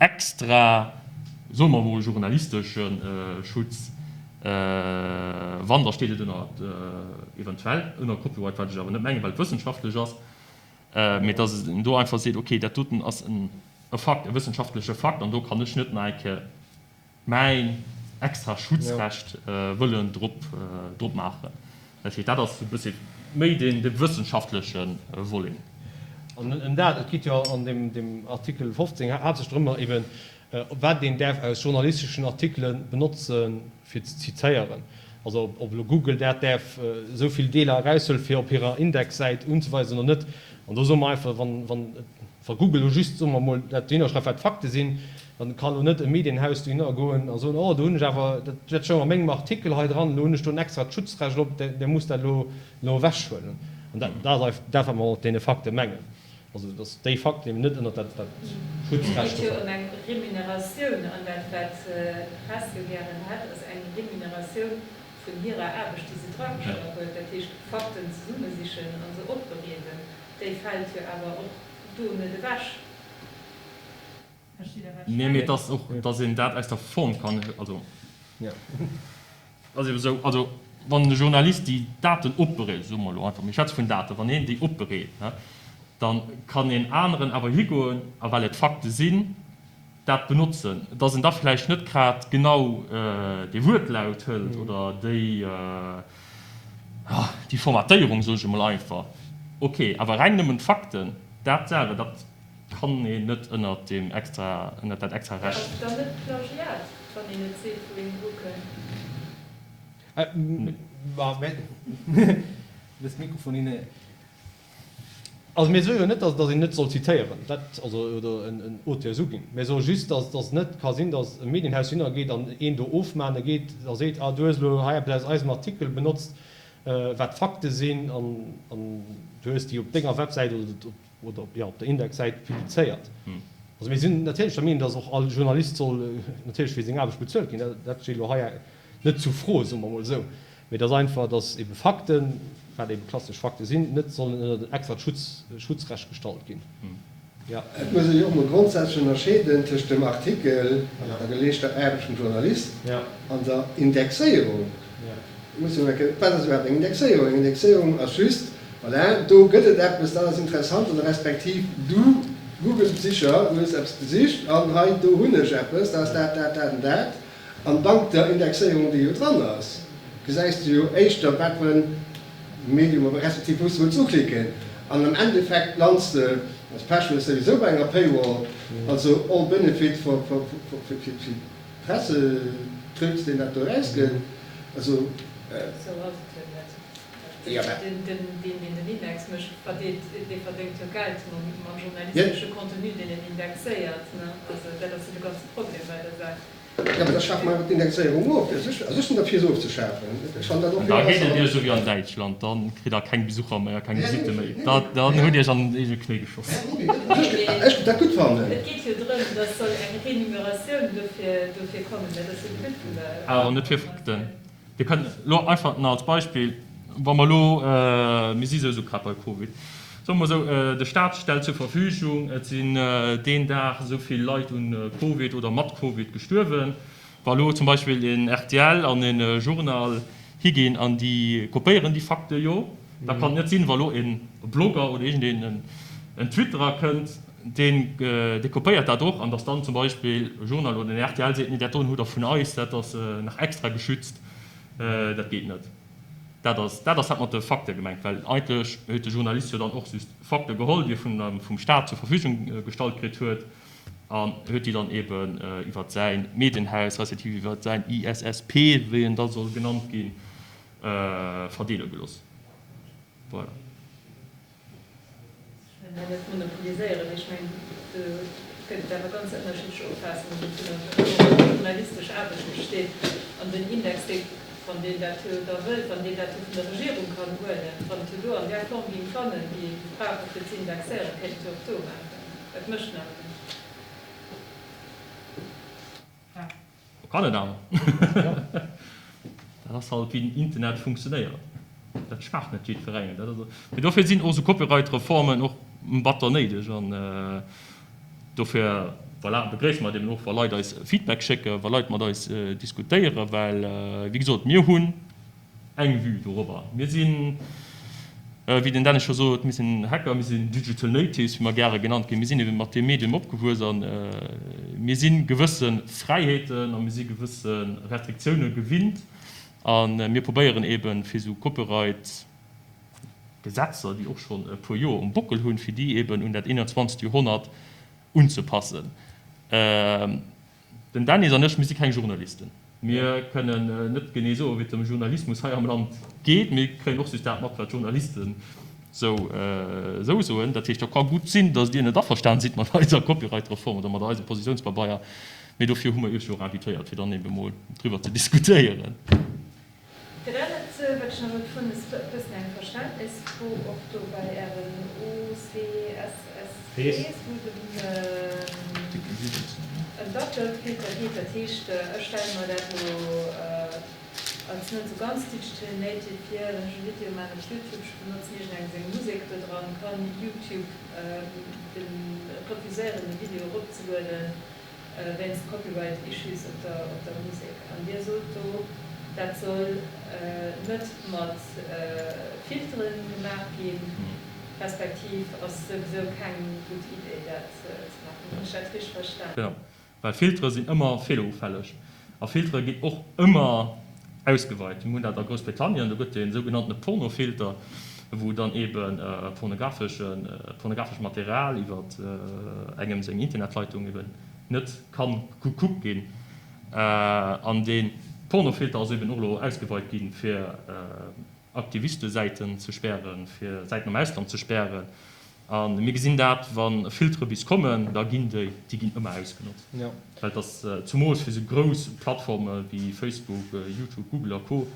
extra, soe mer emol, journalistesche Schutz, wann, da steet et ënnert, eventuell ënner Copyright, wat ech awer net mengen, well et wëssenschaftlech ass, mee dass een do einfach seet, okay, dat doten ass e Fakt, e wëssenschaftleche Fakt, an do kann ech net nach eng Kéier mäin extra Schutzrecht wëllen drop drop maachen. Dat heescht, dat ass e bëssi méi deen de wëssenschaftleche Volet. An ëm dat, et geet jo an deem deem Artikel fofzéng haaptsächlech drëmmer eben, wat een däerf aus journalisteschen Artikele benotze fir ze zitéieren. Also ob elo Google dat däerf esou vill Deeler eraushuelen, fir op hirer Indexsäit unzeweisen oder net. An do soe mer einfach, wann wann wa Google elo just, soe mer emol, dat dohinner schreift, wat d'Fakte sinn, dann kann elo net e Medienhaus dohinner goen a soen, oh do hunn ech awer, dat dat stoung a mengem Artikel hei dran, elo hunn ech do en extrat Schutzrecht op, der musst dat elo elo ewechhuelen. An dat dat ass dat, wat mer mat deene Fakte mengen. Also datt déi Fakten eben net ënnert dat dat Et Schutzrecht geet jo do ëm eng Remuneratioun, an dat wat d'Press jo gären hätt, ass eng Remuneratioun vun hirer Aarbecht, déi se dragestallt huet, dat heescht Fakten zesummesichen a se opbereeden, déi fält jo awer och do net ewech. Verstitt Der, wat ech Nee, mee et mengen? ass och, datt een dat aus der Form kann, also ass ebe sou, also wann e Journalist déi Daten opbereet, soe mer elo einfach, mir schwätze vun Daten, wann hien déi opbereet, da kann een aneren awer higoen a well et Fakte sinn, dat benotzen, dass en da vläicht net grad genau dee Wuertlaut hëlt oder déi, déi Formatéierung, soen ech emol einfach, ok, awer reng nëmmen d'Fakten, dat selwer, dat kann een net ënnert deem extra, ënnert dat extra Ass Recht. et dann net Plagiat, wann een net seet, wou een dru kënnt? Dës Mikrofon hinne. Also mir soe jo net, datt een net soll zitéieren, dat, also, oder en Auteur esou ginn. Mir soe just, datt et net ka sinn, datt e Medienhaus hinnergeet an een do ofmahne geet a seet, ah du hues elo hei eppes aus eisem Artikel benotzt, wat Fakte sinn, an du hues déi op denger Websäit oder op, jo, op der Indexsäit publizéiert. Also mir sinn natierlech der Meenung, datt och all Journalist soll natierlech fir seng Aarbecht bezuelt ginn. Dat steet elo hei net zur Fro, soe mer emol esou. Mee et ass einfach, datt ebe Fakten, wat ebe klassesch Fakte sinn, net sollen ënnert en extrat Schutz, Schutzrecht gestallt ginn. Jo. Et muss ee jo och mol grondsätzlech ënnerscheeden tëscht dem Artikel an der geleeschter Aarbecht vum Journalist an der Indexéierung. Et muss een eng, wat ass iwwerhaapt eng Indexéierung? Eng Indexéierung ass just, voilà, do gëtt et eppes, dat ass interessant, oder respektiv du, Google-Sicher, du hues eppes gesicht an hei, do hunn ech eppes, dat ass dat, dat, dat an dat. An dank der Indexéierung, déi jo dran ass, gesäis de jo éischter, wat fir en Medium, respektiv wou s de wëlls uklicken. An am Endeffekt lands de, wann s Pech hues, souwisou bei enger Paywall. Also all benefit for fir d'Pressetrutz, deen dat do erausgëtt. Also. Sou ass et jo net. Jo, mä. Deen, deen den Index mécht, verdeelt, dee verdéngt jo Geld mam journalistesche Contenu, deen en indexéiert. Also dat ass jo de ganze Problem bei der Saach. Jo, mä da schafe mer einfach d'Indexéierung of. Also ech sinn derfir, se ofzeschafen. Ech fannen dat och An vill da geet et besser. Iech esou wéi an Däitschland, da kritt Der keng Besucher méi a keng Visitte méi. Da dann hutt Dir Iech an den eegene Knéi geschoss. Ech géif dat gutt fannen. Et geet jo drëm, dass soll eng Renumeratioun dofir dofir kommen. Dat ass jo de But vun der Awer net fir Fakten. Reformatioun. Dir kënnt elo einfach nach als Beispill, wa mer elo, mir si souwisou grad bei Covid, soe mer esou, de Staat stellt zur Verfügung, et sinn deen Dag esou vill Leit un Covid oder mat Covid gestuerwen. Wa elo zum Beispill een rtl an e Journal higinn an déi kopéieren déi Fakte jo, da kann et net sinn, wa elo e Blogger oder iergendeen en Twitterer kënnt, deen dee kopéiert dat och, an datt dann zum Beispill e Journal oder en rtl seet, nee dat doen hutt Der vun eis, dat ass nach extra geschützt. Dat geet net. Dat ass dat ass dat mat de Fakte gemengt, well eigentlech huet de Journalist jo dann och just Fakte geholl, déi e vun vum Staat zur Verfügung gestallt kritt huet, an huet déi dann eben iwwert säi Medienhaus respektiv iwwert säin I S S P, wéi en da soll genannt ginn, verdeele gelooss. Voilà. Ech wëll hei net monopoliséieren, mee ech mengen, do gëtt et awer ganz ënnerschiddlech Opfaassungen dovunner, wéi journalistesch Aarbecht besteet. An den Index, dee, wann deen dat jo da wëllt, wann deen dat jo vun der Regierung kann huelen, wann et jo do an där Form géing fannen, déi ee brauche fir ze indexéieren, kéint et jo och do maachen. Et mécht en awer net. Kann et awer. Dat ass halt wéi den Internet funktionéiert. Dat schmaacht net jiddwerengem. Dat ass, mee dofir sinn och esou Copyright-Reformen och batter néideg. An dofir, voilà, begréisse mer et eben och, wa Leit eis Feedback schécken, wa Leit mat eis diskutéieren, well, wéi gesot, mir hunn eng Vue dorobber. Mir sinn, wéi den Dennis scho sot, mir sinn Hacker, mir sinn Digital Natives, wéi mer gäre genannt ginn. Mir sinn ebe mat deem Medium opgewuess a mir si gewësse Fräiheeten a mir si gewësse Restriktioune gewinnt. A mir probéieren ebe fir esou Copyright-Gesetzer, déi och schonn e puer Joer um Bockel hunn, fir déi eben un dat eenanzwanzegt Joerhonnert unzepassen. Den Dennis an ech, mir si keng Journalisten. Mir kënnen net genee soen, wéi et dem Journalismus hei am Land geet. Mir kréien och just dat mat, wat d'Journalisten esou soen. Dat heescht, et ka gutt sinn, datt Dir net averstan sidd mat eiser Copyright-Reform oder mat eisem Positiounspabeier. Mee dofir hu mer Iech jo och invitéiert, fir dann ebe mol driwwer ze diskutéieren. Fir dat net, wat ech nach wollt froen, ass e bëssen eng Verständnisfro och do bei Ären O C S S Ps, wou et ëm d'Uploadfilter geet. Dat heescht, ech stelle mer dat elo als net esou ganz digital native vir, wann ech e Video maachen op YouTube, ech benotzen iergendengem seng Musek do dran, kann YouTube de refuséieren, de Video eropzelueden wéinst Copyright Issues op der op der Musek. An Dir sot do, dat soll net mat Filtere gemaach ginn, respektiv ass souwisou keng gutt Idee dat ze maachen. Hunn ech dat richteg verstanen? Genau, well Filtere sinn ëmmer feelerufälleg a Filtere ginn och ëmmer ausgeweit. Mir hunn dat a Groussbritannien, do gëtt e sougenanntene Pornofilter, wou dann ebe pornografescht Material iwwer engem seng Internetleitung eben net ka gekuckt ginn. An dee Pornofilter ass eben och elo ausgeweit ginn, fir Aktivistesäiten ze spären, fir Säiten am Ausland ze spären. A mir gesinn dat, wa Filtere bis kommen, da ginn déi, déi ginn ëmmer ausgenotzt. Well et ass, zumools fir esou grouss Plattforme wéi Facebook, YouTube, Google a Co.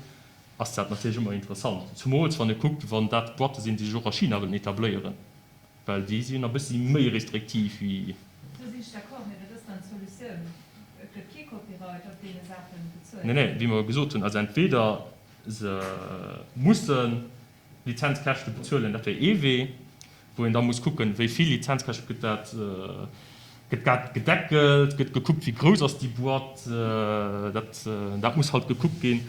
Ass dat natierlech ëmmer interessant. Zumools wann ee kuckt, wann dat Boîte sinn, déi sech och a China wëllen etabléieren, well déi sinn e bëssi méi restriktiv wéi. Do sinn ech d'accord, mee wat ass dann d'Solutioun? Et gëtt kee Copyright op deene Saachen bezuelt. Nee, nee, wéi mer gesot hunn, also entweder se musse Lizenzkäschte bezuelen, dat wär ee Wee, wou een da muss kucken, wéi vill Lizenzkäschte gëtt dat, gëtt dat gedeckelt, gëtt gekuckt, wéi grouss ass déi Boîte, dat, dat muss halt gekuckt ginn.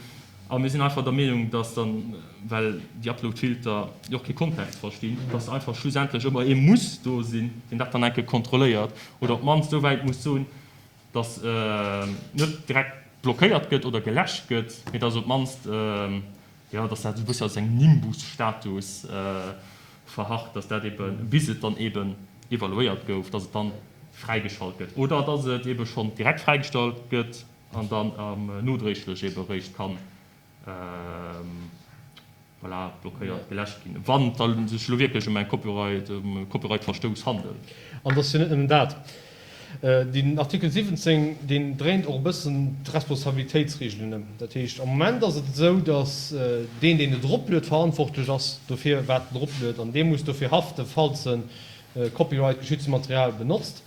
A mir sinn einfach der Meenung, dass dann, well déi Uploadfilter jo och kee Kontext verstinn, dass einfach schlussendlech ëmmer ee muss do sinn, deen dat dann eng Kéier kontrolléiert oder op d'mannst esou wäit muss soen, dass net direkt blockéiert gëtt oder geläscht gëtt, mee dass op d'mannst, jo, dass dat esou e bëssi als eng Nimbus-Status verharrt, dass dat eeben, bis et dann eeben evaluéiert gouf, dass et dann fräigeschalt gëtt oder dass et eebe schonn direkt fräigestallt gëtt an dann nodréiglech eebe eréischt kann, voilà, blockéiert, geläscht ginn, wann et da sech elo wierklech ëm eng Copyright, ëm e Copyright-Verstouss handelt. An et ass jo net nëmmen dat. Deen Artikel siwwenzéng, deen dréint och e bëssen d'Responsabilitéitsregelen ëm. Dat heescht, am Moment ass et esou, datt deen, deen et eropluet, verantwortlech ass dofir, wat en eropluet, an dee muss dofir haften, falls e copyright-geschützte Material benotzt.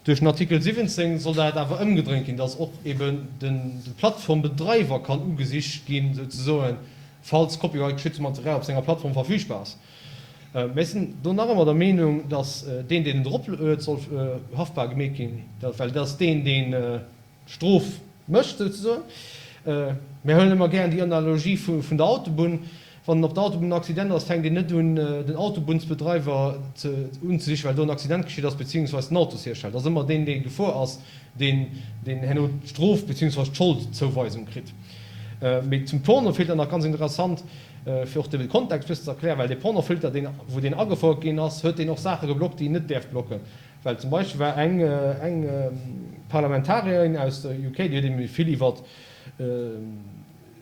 Duerch den Artikel siwwenzéng soll dat awer ëmgedréint ginn, dass och eben de Plattformbedreiwer kann ugesicht ginn, souzesoen, falls copyright-geschützte Material op senger Plattform verfügbar ass. Mir sinn do nach ëmmer der Meenung, dass deen, deen et eropluet, soll haftbar gemeet ginn, well dat ass deen, deen d'Strof mécht, souzesoen. Mir huelen ëmmer gären déi Analogie vun der Autobunn. Wann op der Autobunn en Accident ass, fänkt een net un, den Autobunnsbedreiwer unzesichen, well do en Accident geschitt ass, beziehungsweis den Autoshiersteller. Et ass ëmmer deen, dee gefuer ass, deen, deen herno d'Strof beziehungsweis d'Scholdzouweisung kritt. Mee zum Pornofilter nach ganz interessant, fir och de Kontext bëssen ze erklären, well dee Pornofilter, deen, wou deen agefouert ginn ass, huet deen och Saache geblockt, déi en net däerf blocken. Well zum Beispill war eng, eng Parlamentarierin aus der U K, déi huet eben vill iwwert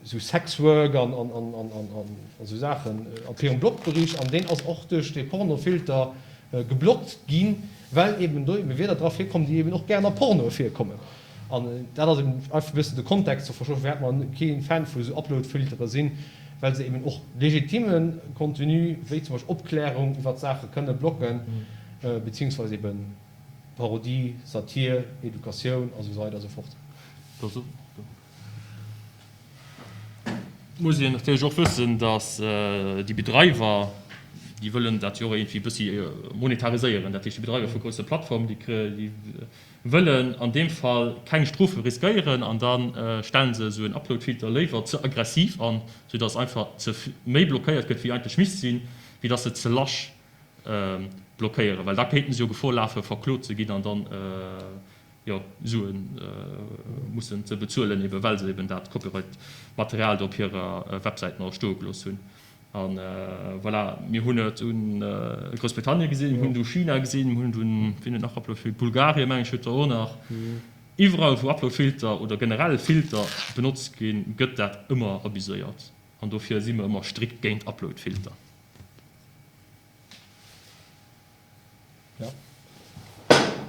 esou Sexwork an, an, an, an, an, an esou Saachen op hirem Blog bericht an deen ass och duerch dee Pornofilter geblockt ginn, well eben do eben Wierder dra virkommen, déi eben och gären a Pornoe virkommen. An dat ass eben einfach e bëssen de Kontext ze verstoen, firwat mer kee Fan vu esou Uploadfiltere sinn, well se eben och legitime Contenu, wéi zum Beispill Opklärung iwwert Saache kënne blocken, beziehungsweise eben Parodie, Satir, Educatioun a sou weider a sou fort. Muss een natierlech och wëssen, datt déi Bedreiwer, déi wëllen dat jo och iergendwéi e bëssi monetariséieren, dat heescht déi Bedreiwer vu grousse Plattformen, déi wëllen an deem Fall keng Strofe riskéieren an da stelle se esou en Uploadfilter léiwer ze aggressiv an, soudatt einfach ze méi blockéiert gëtt wéi eigentlech misst sinn, wéi datt se ze lasch blockéieren, well da kéinten se jo Gefor lafen, verklot ze ginn an dann jo Sue mussen ze bezuelen, ebe well se eben dat Copyright-Material do op hirer Websäit nach stoe gelooss hunn. A voilà, mir hunn et u Groussbritannien gesinn, mir hunn et u China gesinn, mir hunn et un, wien huet nach Uploadfilter, Bulgarien, meng ech, huet der och nach. Iwwerall, wou Uploadfilter oder generell Filter benotzt ginn, gëtt dat ëmmer abuséiert. An dofir si mer ëmmer strikt géint Uploadfilter.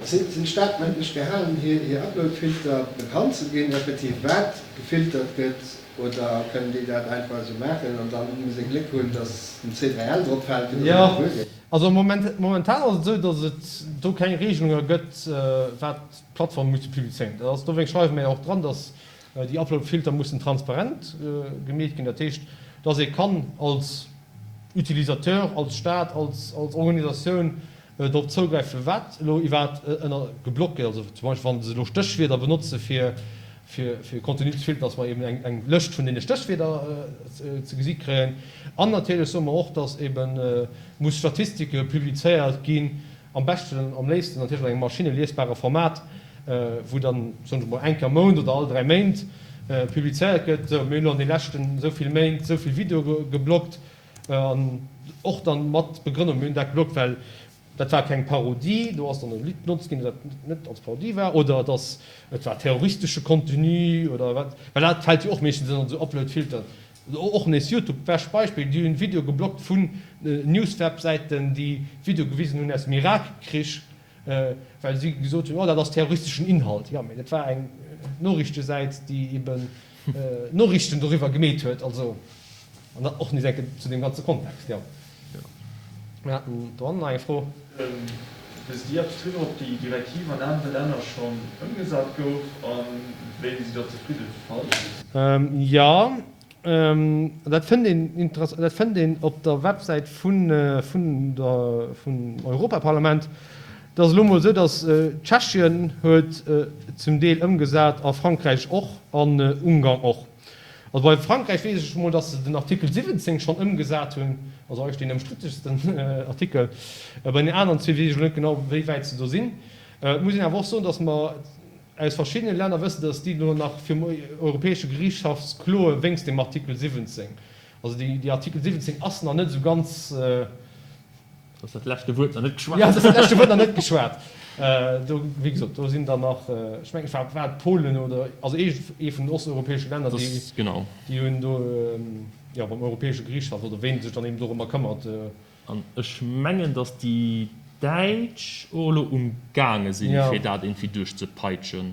Sinn d'Staaten eigentlech gehalen, hir Uploadfilter bekannt ze ginn, respektiv wat gefiltert gëtt, oder kënnen déi dat einfach esou maachen an da muss ee Gléck hunn, datt den C drei L drop fält, fir datt et Jo, gewuer gëtt? also momentan ass et esou, datt et do keng Regelunge gëtt, wat d'Plattforme musse publizéieren. Dat ass, dowéinst schreiwe mir jo och dran, datt déi Uploadfilter mussen transparent gemeet ginn. Dat heescht, datt ee kann als Utilisateur, als Staat, als Organisatioun drop zougräifen, wat elo iwwerhaapt ënner geblockt gëtt. Also zum Beispill, wa se elo Stéchwierder benotze fir fir Contenu ze filteren, dass mer eben eng eng Lëscht vun deene Stéchwierder ze gesi kréien. An natierlech soe mer och, dass eben muss Statistike publizéiert ginn, am beschten, am léifsten natierlech an engem maschineliesbare Format, wou dann, soen ech emol, eng Kéier am Mount oder all dräi Méint publizéiert gëtt, esou, mir hunn elo an de leschten esou vill Méint esou vill Videoe geblockt, an och dann mat Begrënnung, mir hunn dat geblockt, well dat war keng Parodie, do ass dann e Lidd benotzt ginn, dat net als Parodie war, oder et ass, et war terroristesche Contenu oder wat, well dat fält jo och meeschtens ënner esou Uploadfilteren. Och nees YouTube, bescht Beispill, déi hunn Videoe geblockt vun Newswebsäiten, déi Videoe gewisen hunn aus dem Irakkrich, well si gesot hunn, oh dat ass terroristeschen Inhalt. Jo, mee dat war eng Noriichtesäit, déi eben Noriichten doriwwer gemeet huet. Also, an dat och nees eng Kéier zu deem ganze Kontext, jo. Mir haten do hannen nach eng Fro. Wësst Dir eppes driwwer, ob déi Direktiv an anere Länner schonn ëmgesat gouf a wéi si der zefridde? Falls. Jo, dat fënnt een, dat fënnt een op der Websäit vun der, vum Europaparlament. Et ass elo emol esou, datt Tschechien huet zum Deel ëmgesat a Frankräich och an Ungarn och. Also bei Frankräich weess ech emol, datt se den Artikel siwwenzéng schonn ëmgesat hunn, also eigentlech deen ëmstrittegsten Artikel. Bei den aneren zwee weess ech elo net genau, wéi wäit se do sinn. Et muss een awer och soen, datt mer aus verschiddene Länner wëssen, datt déi elo nach virum Europäesche Geriichtshaff kloe wéinst dem Artikel siwwenzéng. Also déi Artikel siwwenzéng ass nach net esou ganz. Ass dat leschte Wuert nach net geschwat? Jo, ass dat leschte Wuert nach net geschwat. Do, wéi gesot, do sinn der nach, ech mengen, et war, war et Polen oder, also ee, ee vun den osteuropäesche Länner, déi, genau. déi hunn do, jo, beim Europäesche Geriichtshaff oder ween sech dann eben dorëmmer këmmert. An ech mengen, datt déi Däitsch och elo um gaange sinn, fir dat iergendwéi duerchzepeitschen.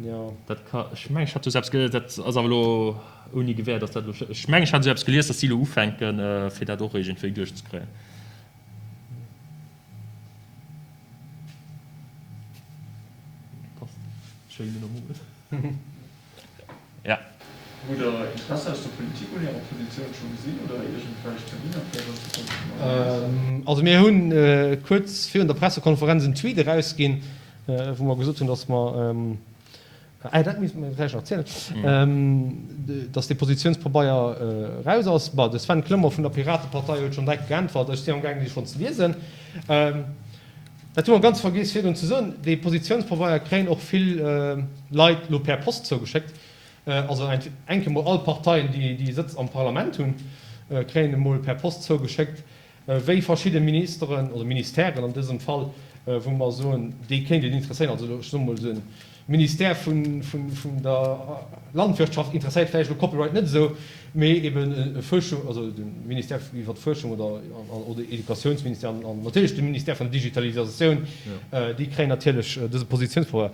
Jo. Dat ka, ech mengen, ech hat esou eppes ge, dat ass awer elo ouni Gewähr, datt dat elo, ech mengen, ech hat esou eppes gelies, datt si elo ufänken, fir dat och iergendwéi duerchzekréien. Passt schéin ënnermoolt. Ja. Hutt Der Interesse aus der Politik un Ärer Positioun scho gesinn oder iergendwelch Terminer vläicht an Zukunft vun der Also mir hunn kuerz virun der Pressekonferenz en Tweet erausginn, wou mer gesot hunn, datt mer, ah dat misst mer vläicht nach erzielen, datt dee Positiounspabeier eraus ass. Bon, de Sven Clement vun der Piratepartei huet schonn direkt geäntwert. Ech sinn amgaangen dee schonn ze liesen. Dat hu mer ganz vergiess virdrun ze soen, dee Positiounspabeier kréien och vill Leit elo per Post zougeschéckt. Also eng Kéier mol all Parteien, déi Sëtz am Parlament hunn, kréien emol per Post zougeschéckt, wéi verschidde Ministeren oder Ministèren an dësem Fall, wou mer soen, déi kéint et interesséieren. Also ech soe mol, de Ministère vun der Landwirtschaft interesséiert vläicht elo Copyright net esou, mee eben Fuerschung, also de Ministère iwwer d'Fuerschung oder oder Educatiounsministère an natierlech de Ministère vun der Digitalisatioun, déi kréien natierlech dëse Positiounspapier.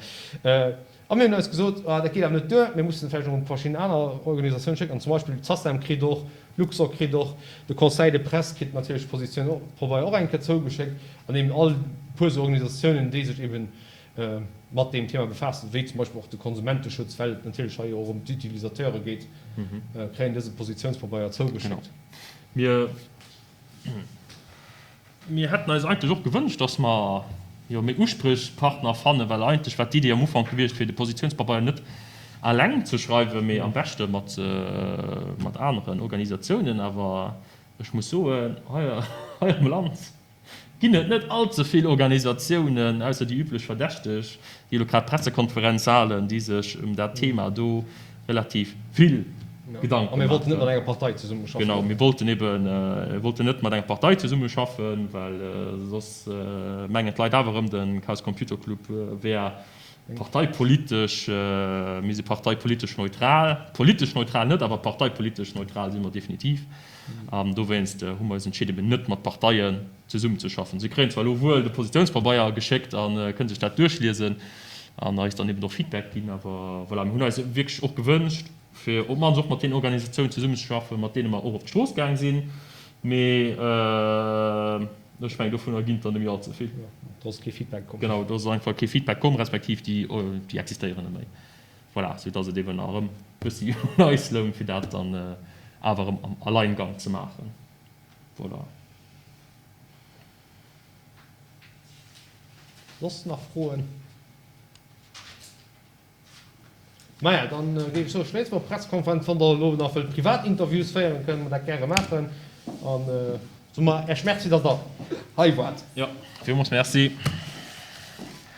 A mir hunn eis gesot, ah dat geet awer net duer, mir mussen vläicht och un verschidden aner Organisatiounen schécken. An zum Beispill d'SACEM kritt och, Luxorr kritt och, de Conseil de presse kritt natierlech d'Positioun och eng Kéier zougeschéckt an eben all puer esou Organisatiounen, déi sech eben mat deem Thema befaassen, wéi zum Beispill och de Konsumenteschutz, well et natierlech hei jo och ëm d'Utilisateure geet, kréien dëse Positiounspabeier zougeschéckt. Mir Mir hätten eis eigentlech och gewënscht, dass mer jo méi Uspriechpartner fannen, well eigentlech war d'Idee am Ufank gewiescht, fir de Positiounspabeier net eleng ze schreiwen, mee am beschte mat mat aneren Organisatiounen. Awer ech muss soen, hei hei am Land ginn et net all ze vill Organisatiounen, ausser déi üblech Verdächteg, déi elo grad d'Pressekonferenz halen, déi sech ëm dat Thema do relativ vill Gedanken. A mir wollten net mat enger Partei zesummeschaffen. Genau, mir wollten eben wollten net mat enger Partei zesummeschaffen, well soss mengen d'Leit awer erëm, de Chaos Computer Club wär parteipolitesch. Mir si parteipolitesch neutral. Politesch neutral net, awer parteipolitesch neutral si mer definitiv. An dowéinst hu mer eis entscheet, eben net mat Parteien zesummenzeschaffen. Si kréien zwar elo wuel de Positiounspabeier geschéckt a kënne sech dat duerchliesen an eis dann eben och Feedback ginn, awer voilà, mir hunn eis wierklech och gewënscht, fir op d'mannst och mat deenen Organisatiounen zesummenzeschaffen, mat deene mer och op d'Strooss gaang sinn, mee ech mengen, dovunner ginn et der net méi all ze vill. Do ass kee Feedback komm. Genau, do ass einfach kee Feedback komm, respektiv déi, déi existéieren net méi. Voilà, soudass et eben erëm e bëssi un eis loung, fir dat dann awer erëm am Alleingang ze maachen. Voilà. Soss nach Froen? Maja, dann géif ech soen, schléisse mer d'Pressekonferenz. Wann Der elo nach wëllt privat Interviews féieren, kënne mer dat gäre maachen. An soe mer Äech Merci, dass Der hei waart. Jo, villmools Merci.